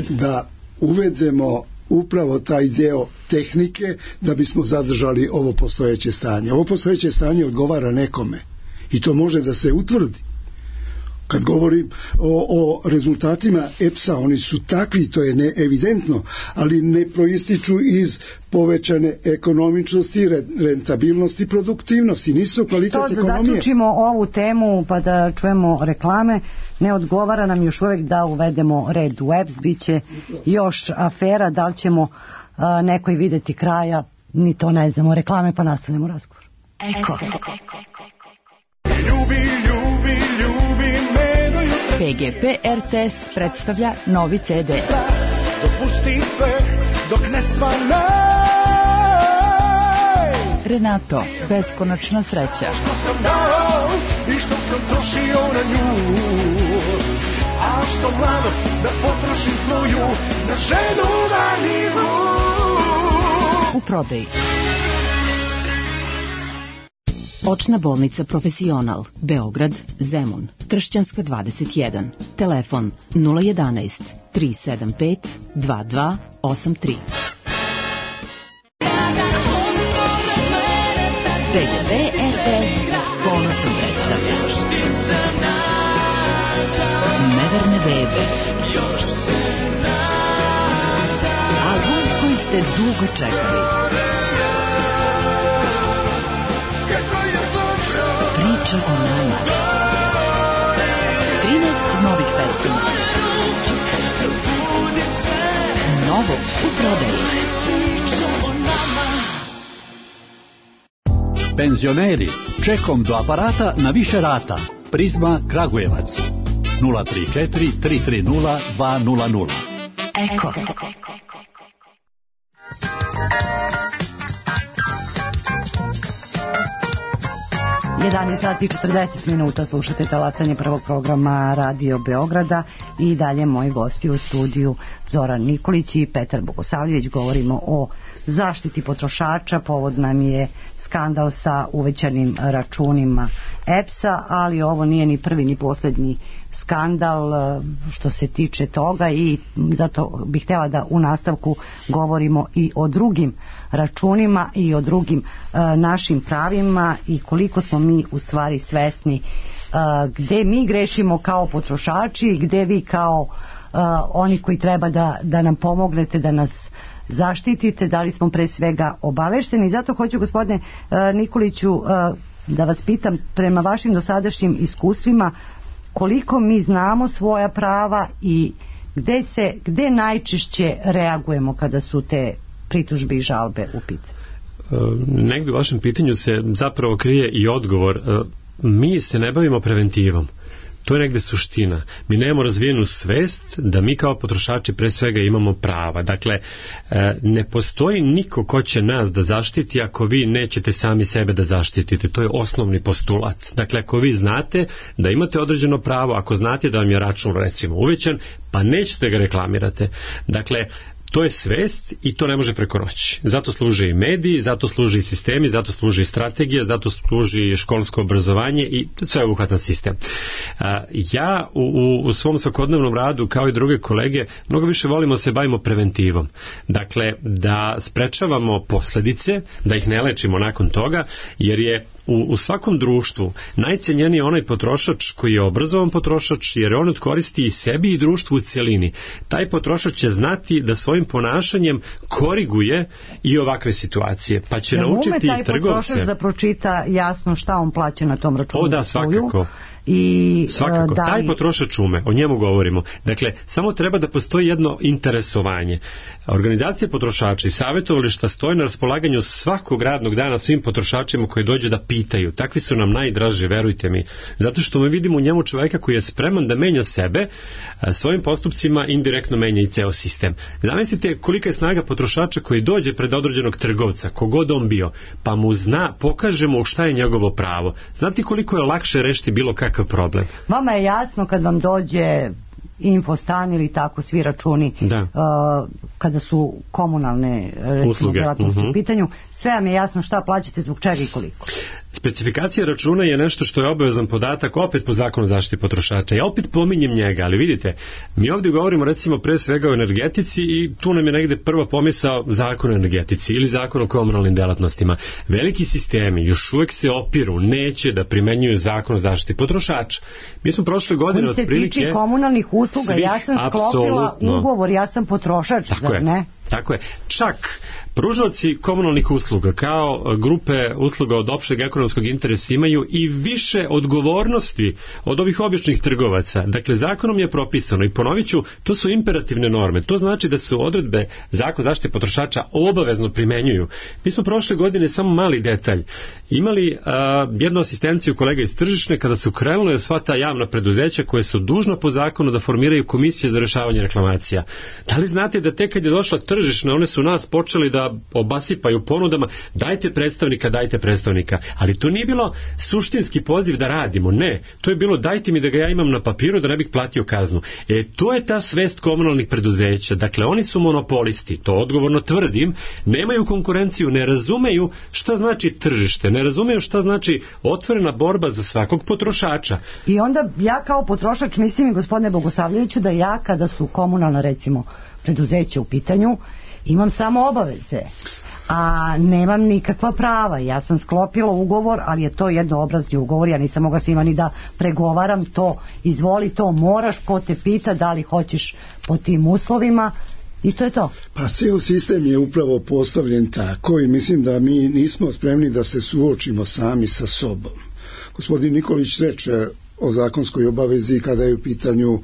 da uvedemo upravo taj deo tehnike da bismo zadržali ovo postojeće stanje. Ovo postojeće stanje odgovara nekome i to može da se utvrdi. Kad govorim o, o rezultatima E P S-a, oni su takvi, to je neevidentno, ali ne proističu iz povećane ekonomičnosti, rentabilnosti, produktivnosti, nisu kvalitet što ekonomije. Da zaključimo ovu temu pa da čujemo reklame, ne odgovara nam još uvek da uvedemo red u E P S, bit će još afera, da li ćemo a, nekoj videti kraja, ni to ne znamo. Reklame pa nastavljamo razgovor. Eko. Ljubi, ljubi, ljubi me do jutra. P G P R T S predstavlja novi C D. Dopusti sve dok ne svane. Renato, beskonačna sreća. Što sam dao i što sam trošio na nju, a što mladost da potrošim svoju na ženu vanilju. U prodaji. Očna bolnica Profesional, Beograd, Zemun, Tršćanska dvadeset jedan. Telefon nula jedanaest tri sedam pet dva dva osam tri. B G B R T S ponosom predstavlja Neverne bebe, album koji ste dugo čekali. Priča o nama. trinaest novih pesama. Novo u prodaji. Penzioneri, čekom do aparata na više rata. Prizma Kragujevac. nula tri četiri tri tri nula dva nula nula. Eko. jedanaest sati i četrdeset minuta, slušate talasanje prvog programa Radio Beograda i dalje moji gosti u studiju Zoran Nikolić i Petar Bogosavljević. Govorimo o zaštiti potrošača, povod nam je skandal sa uvećanim računima E P S-a, ali ovo nije ni prvi ni posljednji skandal što se tiče toga i zato bih htjela da u nastavku govorimo i o drugim računima i o drugim uh, našim pravima i koliko smo mi u stvari svesni uh, gde mi grešimo kao potrošači i gde vi kao uh, oni koji treba da, da nam pomognete, da nas zaštitite, da li smo pre svega obavešteni. Zato hoću, gospodine uh, Nikoliću, uh, da vas pitam, prema vašim dosadašnjim iskustvima, koliko mi znamo svoja prava i gde se, gde najčešće reagujemo kada su te pritužbe i žalbe u pitanju? Negdje u vašem pitanju se zapravo krije i odgovor. Mi se ne bavimo preventivom. To je negde suština. Mi nemamo razvijenu svest da mi kao potrošači pre svega imamo prava. Dakle, ne postoji niko ko će nas da zaštiti ako vi nećete sami sebe da zaštitite. To je osnovni postulat. Dakle, ako vi znate da imate određeno pravo, ako znate da vam je račun recimo uvećan, pa nećete ga reklamirate. Dakle, to je svest i to ne može preko noći. Zato služe i mediji, zato služe i sistemi, zato služi i strategija, zato služi i školsko obrazovanje i sveobuhvatan sistem. Ja u, u svom svakodnevnom radu, kao i druge kolege, mnogo više volimo se bavimo preventivom. Dakle, da sprečavamo posledice, da ih ne lečimo nakon toga, jer je U, u svakom društvu najcenjeniji je onaj potrošač koji je obrazovan potrošač, jer on koristi i sebi i društvu u cjelini. Taj potrošač će znati da svojim ponašanjem koriguje i ovakve situacije, pa će ja naučiti i trgovce. Taj potrošač da pročita jasno šta on plaća na tom računu? O da, svakako. I, Svakako, da li... taj potrošač ume, o njemu govorimo. Dakle, samo treba da postoji jedno interesovanje. Organizacije potrošača i savjetovališta stoje na raspolaganju svakog radnog dana svim potrošačima koji dođu da pitaju. Takvi su nam najdraži, verujte mi. Zato što mi vidimo u njemu čovjeka koji je spreman da menja sebe, svojim postupcima indirektno menja i ceo sistem. Zamislite kolika je snaga potrošača koji dođe pred određenog trgovca, kogod on bio, pa mu zna, pokaže mu šta je njegovo pravo. Znate koliko je lakše rešiti bilo kakav problem? Vama je jasno kad vam dođe Infostan ili tako svi računi uh, kada su komunalne recimo, delatnosti uh-huh. u pitanju, sve vam je jasno šta plaćate, zbog čega i koliko. Specifikacija računa je nešto što je obavezan podatak opet po zakonu o zaštiti potrošača. Ja opet pominjem njega, ali vidite, mi ovdje govorimo recimo pre svega o energetici i tu nam je negde prva pomisao zakon o energetici ili zakon o komunalnim delatnostima. Veliki sistemi još uvek se opiru, neće da primenjuju zakon o zaštiti potrošača. Mi smo prošle godine otprilike... Koji se tiče komunalnih usluga, svih, ja sam sklopila apsolutno. Ugovor, ja sam potrošač, tako zar je, ne? Tako je. Čak pružaoci komunalnih usluga kao grupe usluga od opšteg ekonomskog interesa imaju i više odgovornosti od ovih običnih trgovaca. Dakle, zakonom je propisano i ponovit ću, to su imperativne norme. To znači da se odredbe zakona zaštite potrošača obavezno primenjuju. Mi smo prošle godine, samo mali detalj, imali a, jednu asistenciju kolega iz tržišne kada su krenule sva ta javna preduzeća koje su dužna po zakonu da formiraju komisije za rešavanje reklamacija. Da li znate da tek kad je došla tržišne, one su nas počeli da obasipaju ponudama, dajte predstavnika, dajte predstavnika, ali to nije bilo suštinski poziv da radimo, ne, to je bilo dajte mi da ga ja imam na papiru da ne bih platio kaznu. E, to je ta svest komunalnih preduzeća, dakle oni su monopolisti, to odgovorno tvrdim, nemaju konkurenciju, ne razumeju šta znači tržište, ne razumeju šta znači otvorena borba za svakog potrošača. I onda ja kao potrošač mislim, gospodine Bogosavljeviću, da ja kada su komunalna recimo preduzeća u pitanju imam samo obaveze, a nemam nikakva prava. Ja sam sklopila ugovor, ali je to jednoobrazni ugovor, ja nisam mogla s njima ni da pregovaram to, izvoli to, moraš, ko te pita da li hoćeš po tim uslovima, i to je to. Pa ceo sistem je upravo postavljen tako i mislim da mi nismo spremni da se suočimo sami sa sobom. Gospodin Nikolić reče o zakonskoj obavezi kada je u pitanju uh,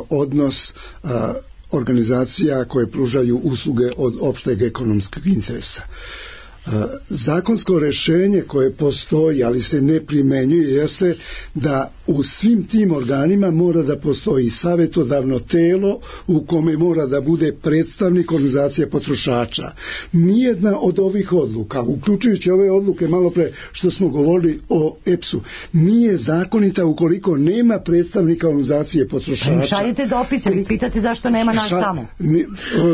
odnos uh, organizacija koje pružaju usluge od opšteg ekonomskog interesa. Zakonsko rešenje koje postoji, ali se ne primenjuje, jeste da u svim tim organima mora da postoji savjetodavno telo u kome mora da bude predstavnik organizacije potrošača. Nijedna od ovih odluka, uključujući ove odluke malo pre što smo govorili o E P S-u, nije zakonita ukoliko nema predstavnika organizacije potrošača. Pa šaljete dopise, vi pitate zašto nema nas tamo.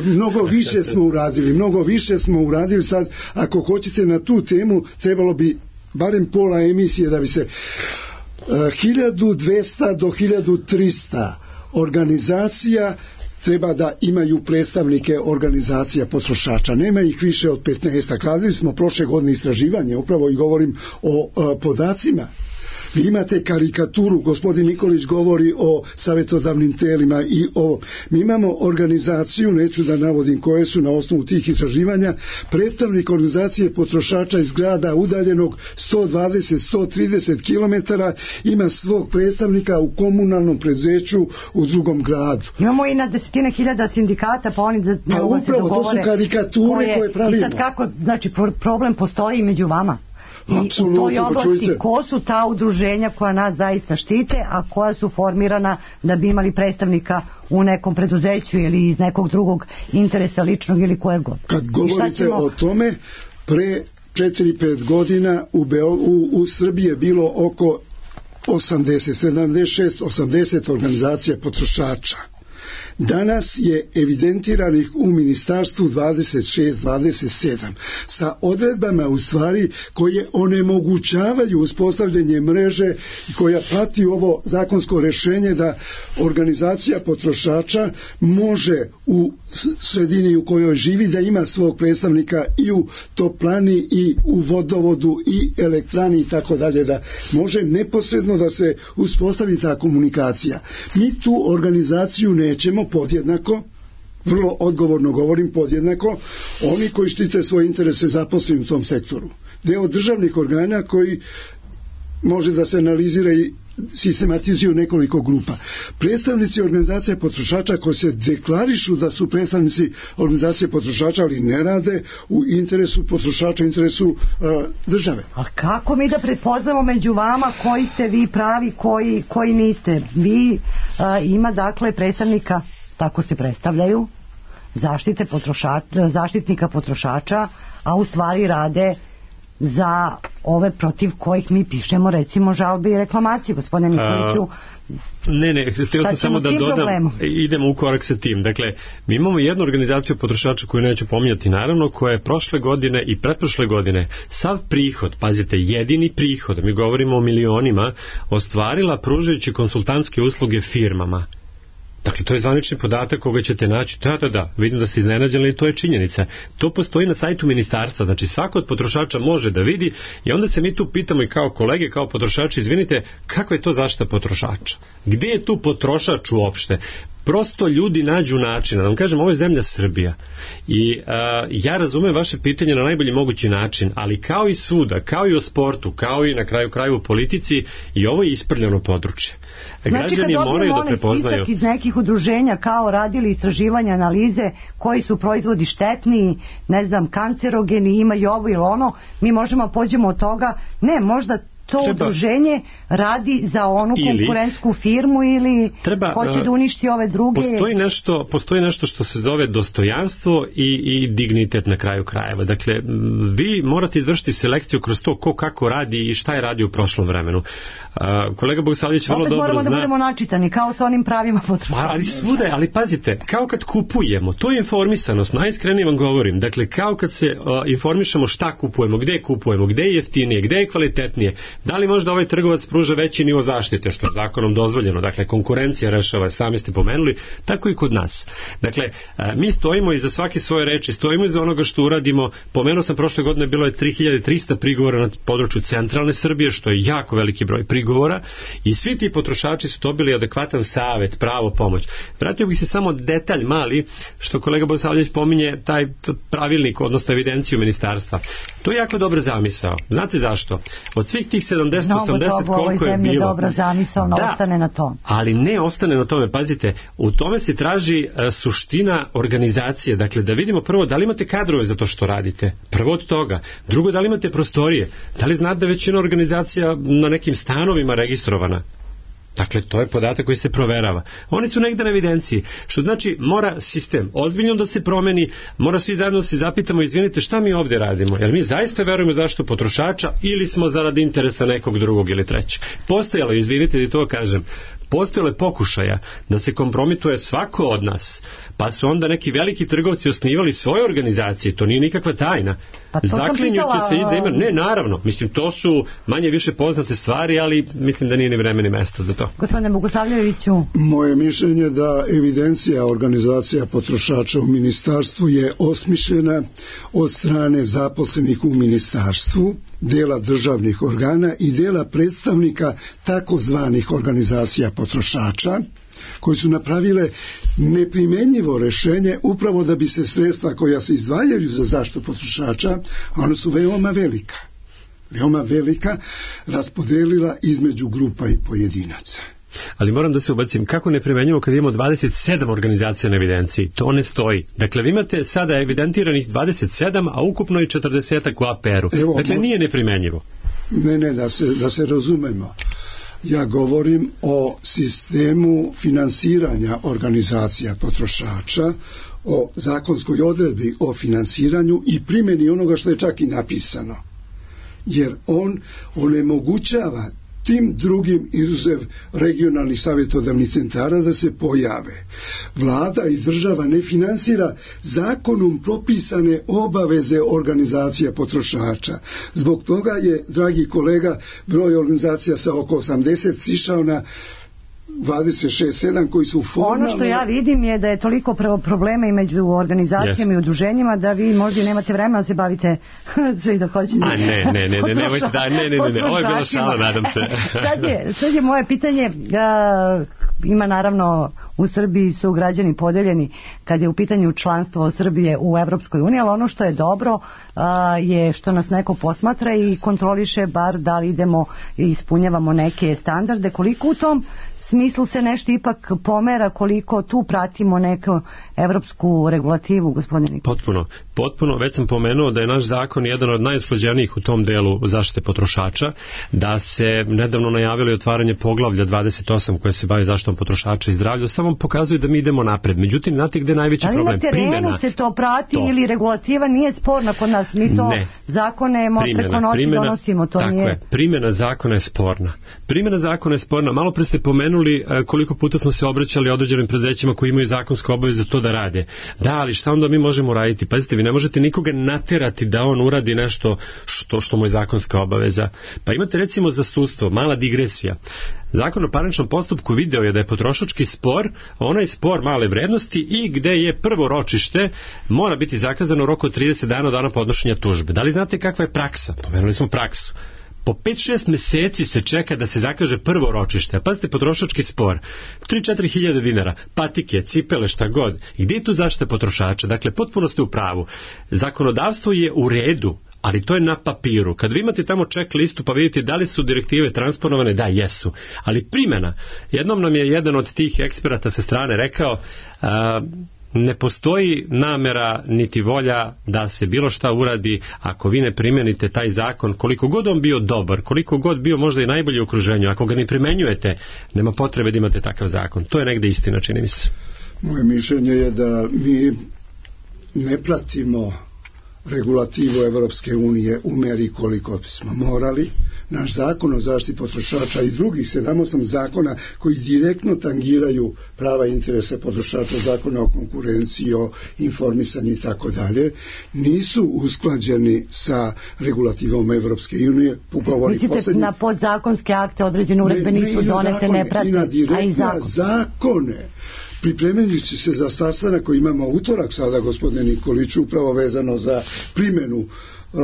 Mnogo više smo uradili, mnogo više smo uradili sad, ako Ako hoćete na tu temu, trebalo bi barem pola emisije da bi se uh, hiljadu dvesta do hiljadu trista organizacija treba da imaju predstavnike organizacija potrošača. Nema ih više od petnaest. Radili smo prošle godine istraživanje, upravo i govorim o uh, podacima. Vi imate karikaturu, gospodin Nikolić govori o savjetodavnim telima i o... Mi imamo organizaciju, neću da navodim koje su na osnovu tih istraživanja, predstavnik organizacije potrošača iz grada udaljenog sto dvadeset do sto trideset kilometara ima svog predstavnika u komunalnom preduzeću u drugom gradu. Imamo i na desetine hiljada sindikata, pa oni da ne pa mogu se dogovore. upravo, to su karikature koje, koje pravimo. I sad kako, znači problem postoji među vama? I Absolutno, u toj oblasti ko su ta udruženja koja nas zaista štite, a koja su formirana da bi imali predstavnika u nekom preduzeću ili iz nekog drugog interesa ličnog ili kojeg god. Kad govorite ćemo... o tome, pre četiri pet godina u, Beo, u, u Srbiji je bilo oko osamdeset, sedamdeset šest, osamdeset organizacija potrošača. Danas je evidentiranih u ministarstvu dvadeset šest dvadeset sedam sa odredbama u stvari koje onemogućavaju uspostavljanje mreže koja prati ovo zakonsko rešenje da organizacija potrošača može u sredini u kojoj živi da ima svog predstavnika i u toplani i u vodovodu i elektrani i tako dalje, da može neposredno da se uspostavi ta komunikacija. Mi tu organizaciju nećemo podjednako, vrlo odgovorno govorim podjednako, oni koji štite svoje interese zaposleni u tom sektoru. Deo državnih organa koji može da se analizira i sistematizuju nekoliko grupa. Predstavnici organizacija potrošača koji se deklarišu da su predstavnici organizacije potrošača, ali ne rade u interesu potrošača, u interesu uh, države. A kako mi da pretpoznamo među vama koji ste vi pravi, koji, koji niste? Vi uh, ima dakle predstavnika, tako se predstavljaju, zaštite potrošača, zaštitnika potrošača, a u stvari rade za ove protiv kojih mi pišemo recimo žalbe i reklamacije, gospodine Nikoliću. Ne, ne, htio sam samo da dodam, problemom? Idemo u korak sa tim. Dakle, mi imamo jednu organizaciju potrošača koju neću pominjati naravno, koja je prošle godine i pretprošle godine sav prihod, pazite, jedini prihod, mi govorimo o milionima, ostvarila pružajući konsultantske usluge firmama. Dakle, to je zvanični podatak koga ćete naći. Da, da, da, vidim da ste iznenađeni, to je činjenica. To postoji na sajtu ministarstva, znači svako od potrošača može da vidi i onda se mi tu pitamo i kao kolege, kao potrošači, izvinite, kakva je to zaštita potrošača? Gde je tu potrošač uopšte? Prosto ljudi nađu načina, da vam kažem, ovo je zemlja Srbija i a, ja razumem vaše pitanje na najbolji mogući način, ali kao i svuda, kao i u sportu, kao i na kraju kraju u politici, i ovo je isprljano područje. Znači, građani moraju da prepoznaju. Spisak iz nekih udruženja kao radili istraživanja, analize koji su proizvodi štetni, ne znam, kancerogeni, imaju ovo ili ono, mi možemo pođemo od toga, ne, možda to treba, udruženje radi za onu ili, konkurentsku firmu ili treba, hoće da uništi ove druge. Postoji nešto, postoji nešto što se zove dostojanstvo i, i dignitet na kraju krajeva. Dakle, vi morate izvršiti selekciju kroz to ko kako radi i šta je radio u prošlom vremenu. Uh, kolega Bogosavljević vrlo opet dobro moramo zna... da budemo načitani, kao sa onim pravima potrošača. Ali svuda, ali pazite, kao kad kupujemo, to je informisanost, najiskrenije vam govorim, dakle kao kad se uh, informišemo šta kupujemo, gde kupujemo, gde je jeftinije, gde je kvalitetnije, da li možda ovaj trgovac pruža veći nivo zaštite, što je zakonom dozvoljeno, dakle konkurencija rešava, sami ste pomenuli, tako i kod nas. Dakle, uh, mi stojimo iza svake svoje reči, stojimo iza onoga što uradimo, pomenuo sam prošle godine bilo je tri hiljade trista prigovora na području centralne Srbije, što je jako veliki broj prigovora i svi ti potrošači su dobili adekvatan savet, pravo, pomoć. Vratio bih se samo detalj mali, što kolega Bogosavljević pominje, taj pravilnik, odnosno evidenciju ministarstva. To je jako dobra zamisao. Znate zašto? Od svih tih sedamdeset osamdeset koliko je bilo... dobra zamisao, no da, ostane na tom. Ali ne ostane na tome, pazite, u tome se traži uh, suština organizacije, dakle da vidimo prvo da li imate kadrove za to što radite, prvo od toga, drugo da li imate prostorije, da li znate da većina organizacija na nekim stanovima registrovana. Dakle, to je podatak koji se proverava. Oni su negde na evidenciji, što znači mora sistem ozbiljno da se promeni, mora svi zajedno da se zapitamo, izvinite, šta mi ovdje radimo? Jer mi zaista verujemo zaštitu potrošača ili smo zarad interesa nekog drugog ili trećeg? Postojalo, izvinite da to kažem, postojale pokušaja da se kompromituje svako od nas, pa su onda neki veliki trgovci osnivali svoje organizacije, to nije nikakva tajna. Pa zaklinjući se iza imena. Ne, naravno, mislim, to su manje više poznate stvari, ali mislim da nije ni vreme ni mesto za to. Gospodine Bogosavljeviću. Moje mišljenje da evidencija organizacija potrošača u ministarstvu je osmišljena od strane zaposlenih u ministarstvu, dela državnih organa i dela predstavnika takozvanih organizacija potrošača, koji su napravile neprimenjivo rešenje upravo da bi se sredstva koja se izdvajaju za zaštitu potrošača, a ona su veoma velika, veoma velika, raspodelila između grupa i pojedinaca. Ali moram da se ubacim, kako ne primenjivo kad imamo dvadeset sedam organizacija na evidenciji? To ne stoji. Dakle, vi imate sada evidentiranih dvadeset sedam, a ukupno i četrdeset u A P R-u. Evo, dakle, nije neprimenjivo. Ne, ne, da se, da se razumemo. Ja govorim o sistemu finansiranja organizacija potrošača, o zakonskoj odredbi o finansiranju i primjeni onoga što je čak i napisano. Jer on onemogućava tim drugim izuzev regionalnih savjetodavnih centara da se pojave. Vlada i država ne finansira zakonom propisane obaveze organizacija potrošača. Zbog toga je, dragi kolega, broj organizacija sa oko osamdeset sišao na dvadeset šest sedam koji su formalno... Ono što ja vidim je da je toliko problema i među organizacijama yes. i udruženjima da vi možda nemate vremena da se bavite svi da hoćete. A ne, ne, ne, ne, nemojte da, ne, ne, ne, ne, ovo je bila šala, nadam se. sad, je, sad je moje pitanje, a, ima naravno u Srbiji su građani podeljeni kad je u pitanju članstvo Srbije u Evropskoj uniji, ali ono što je dobro a, je što nas neko posmatra i kontroliše bar da li idemo i ispunjavamo neke standarde, koliko u tom smislu se nešto ipak pomera, koliko tu pratimo neku evropsku regulativu, gospodine? Potpuno, potpuno, već sam pomenuo da je naš zakon jedan od najusklađenijih u tom delu zaštite potrošača, da se nedavno najavili otvaranje poglavlja dvadeset osam koje se bavi zaštitom potrošača i zdravlja, samo pokazuju da mi idemo napred. Međutim, znate gde je najveći ali problem? Ali na terenu primjena, se to prati to. Ili regulativa nije sporna kod nas, mi to ne. zakone primjena, preko noći primjena, donosimo, to tako nije... je, primjena zakona je sporna. Primjena zakona je sporna, malo pre ste pomenuli koliko puta smo se obraćali određenim preduzećima koji imaju zakonske obaveze to da rade. Da, ali šta onda mi možemo raditi? Pazite, vi ne možete nikoga naterati da on uradi nešto što, što mu je zakonska obaveza. Pa imate recimo za sudstvo, mala digresija. Zakon o parničnom postupku video je da je potrošački spor, onaj spor male vrednosti i gde je prvo ročište mora biti zakazano u roku od trideset dana od dana podnošenja tužbe. Da li znate kakva je praksa? Pomenuli smo praksu. Po pet šest meseci se čeka da se zakaže prvo ročište. A pazite, potrošački spor. tri do četiri hiljade dinara, patike, cipele, šta god. I gdje je tu zaštita potrošača? Dakle, potpuno ste u pravu. Zakonodavstvo je u redu, ali to je na papiru. Kad vi imate tamo ček listu pa vidite da li su direktive transponovane, da, jesu. Ali primjena, jednom nam je jedan od tih eksperata sa strane rekao, a, ne postoji namera niti volja da se bilo šta uradi ako vi ne primenite taj zakon, koliko god on bio dobar, koliko god bio možda i najbolji u okruženju, ako ga ne primenjujete, nema potrebe da imate takav zakon. To je negde istina, čini mi se. Moje mišljenje je da mi ne pratimo regulativu Evropske unije u meri koliko bismo morali. Naš zakon o zaštiti potrošača i drugih sedam osam zakona koji direktno tangiraju prava i interese potrošača, zakona o konkurenciji, o informisanju i tako dalje, nisu usklađeni sa regulativom Evropske unije. Mislite posljednji... na podzakonske akte određene uredbe ne, nisu donete, ne prate, i na direktne zakon. zakone. Pripremajući se za sastanak koji imamo utorak sada, gospodine Nikoliću, upravo vezano za primjenu uh,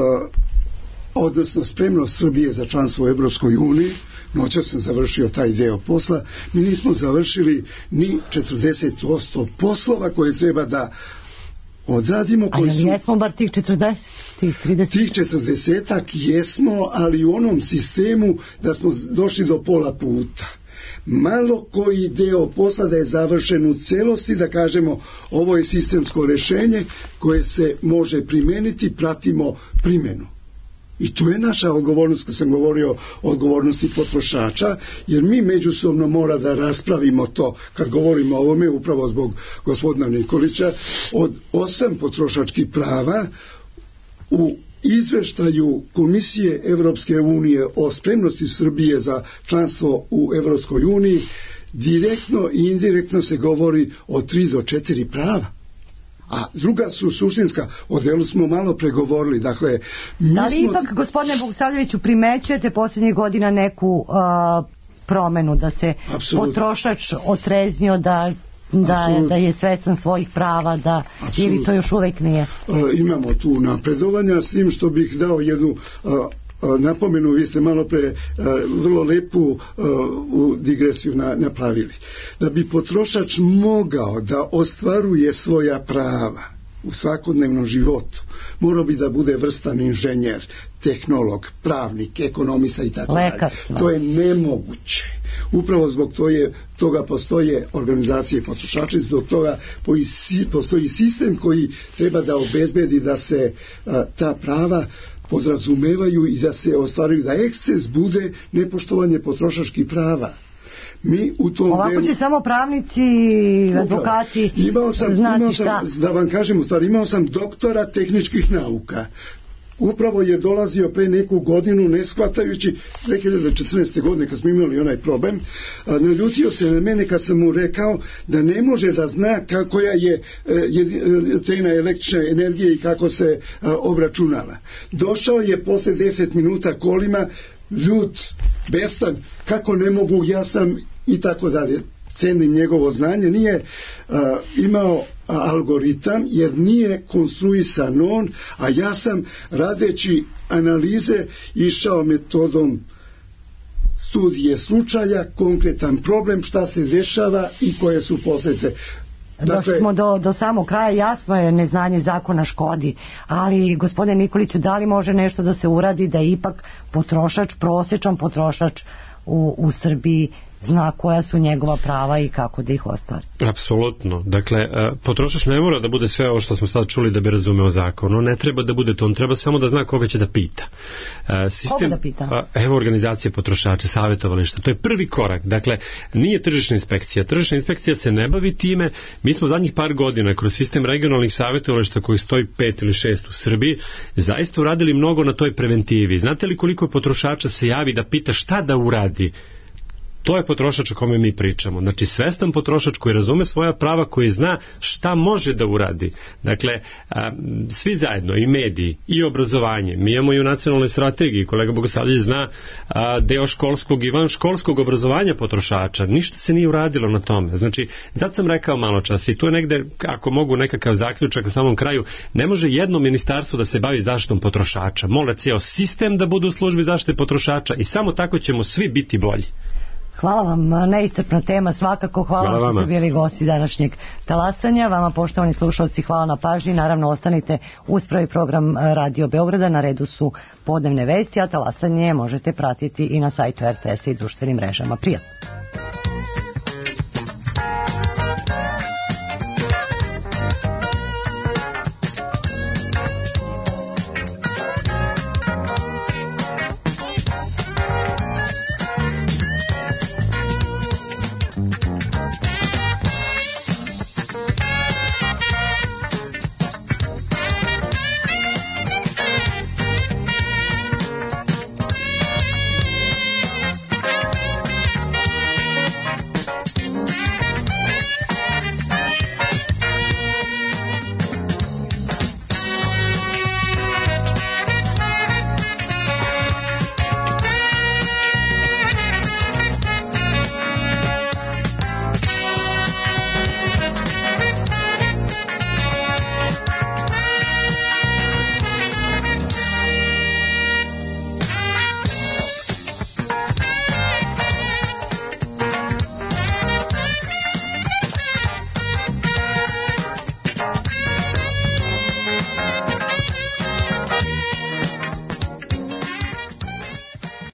odnosno spremnost Srbije za članstvo u Evropskoj uniji, noćas sam završio taj deo posla, mi nismo završili ni četrdeset posto poslova koje treba da odradimo. A jel jesmo bar tih četrdeset, tih trideset? Tih četrdesetak jesmo, ali u onom sistemu da smo došli do pola puta. Malo koji deo posla da je završen u celosti, da kažemo ovo je sistemsko rešenje koje se može primeniti, pratimo primjenu. I tu je naša odgovornost, kad sam govorio o odgovornosti potrošača, jer mi međusobno mora da raspravimo to, kad govorimo o ovome, upravo zbog gospodina Nikolića, od osam potrošačkih prava u izveštaju Komisije Evropske unije o spremnosti Srbije za članstvo u Evropskoj uniji direktno i indirektno se govori o tri do četiri prava. A druga su suštinska, o delu smo malo pregovorili. Dakle, mi da li smo... ipak, gospodine Bogosavljeviću, primećujete posljednjih godina neku uh, promenu, da se Absolutno. potrošač otreznio, da Da je, da je svestan svojih prava, da, ili to još uvek nije? E, imamo tu napredovanja, s tim što bih dao jednu a, a, napomenu, vi ste malo pre a, vrlo lepu a, u digresiju na, napravili. Da bi potrošač mogao da ostvaruje svoja prava u svakodnevnom životu, morao bi da bude vrstan inženjer, tehnolog, pravnik, ekonomista i tako dalje. To je nemoguće. Upravo zbog toje, toga postoje organizacije potrošača, zbog toga postoji sistem koji treba da obezbedi da se a, ta prava podrazumevaju i da se ostvaruju, da eksces bude nepoštovanje potrošačkih prava. Mi u tom Ovako delu... će samo pravnici, advokati imao sam, znati imao sam, šta. Da vam kažem u stvari, imao sam doktora tehničkih nauka. Upravo je dolazio pre neku godinu, ne shvatajući, dve hiljade četrnaeste. godine kad smo imali onaj problem, naljutio se na mene kad sam mu rekao da ne može da zna koja je cena električne energije i kako se obračunava. Došao je posle deset minuta kolima, ljut, bestan, kako ne mogu, ja sam i tako dalje. Cenim njegovo znanje, nije uh, imao a, algoritam jer nije konstruisan on, a ja sam radeći analize išao metodom studije slučaja, konkretan problem, šta se dešava i koje su posljedice. Dakle, došli smo do, do samog kraja, jasno je, neznanje zakona škodi, ali gospodine Nikoliću, da li može nešto da se uradi da ipak potrošač, prosječan potrošač u, u Srbiji zna koja su njegova prava i kako da ih ostvari? Apsolutno. Dakle, potrošač ne mora da bude sve ovo što smo sad čuli da bi razumeo zakon. On ne treba da bude to, on treba samo da zna koga će da pita. Sistem, koga da pita? Evo organizacije potrošača, savjetovališta. To je prvi korak. Dakle, nije tržišna inspekcija. Tržišna inspekcija se ne bavi time. Mi smo zadnjih par godina kroz sistem regionalnih savjetovališta kojih stoji pet ili šest u Srbiji zaista uradili mnogo na toj preventivi. Znate li koliko potrošača se javi da pita šta da uradi? To je potrošač o kome mi pričamo. Znači, svestan potrošač koji razume svoja prava, koji zna šta može da uradi. Dakle, a, svi zajedno, i mediji, i obrazovanje. Mi imamo i u nacionalnoj strategiji, kolega Bogosavljević zna a, deo školskog i van školskog obrazovanja potrošača. Ništa se nije uradilo na tome. Znači, sad sam rekao malo čas i tu je negde, ako mogu nekakav zaključak na samom kraju, ne može jedno ministarstvo da se bavi zaštitom potrošača. Mora cijel sistem da bude u službi zaštite potrošača i samo tako ćemo svi biti bolji. Hvala vam, neiscrpna tema svakako, hvala, hvala vam što ste bili gosti današnjeg talasanja. Vama, poštovani slušalci, hvala na pažnji. Naravno, ostanite uz prvi program Radio Beograda, na redu su podnevne vesti, a talasanje možete pratiti i na sajtu er te es i društvenim mrežama. Prijatno!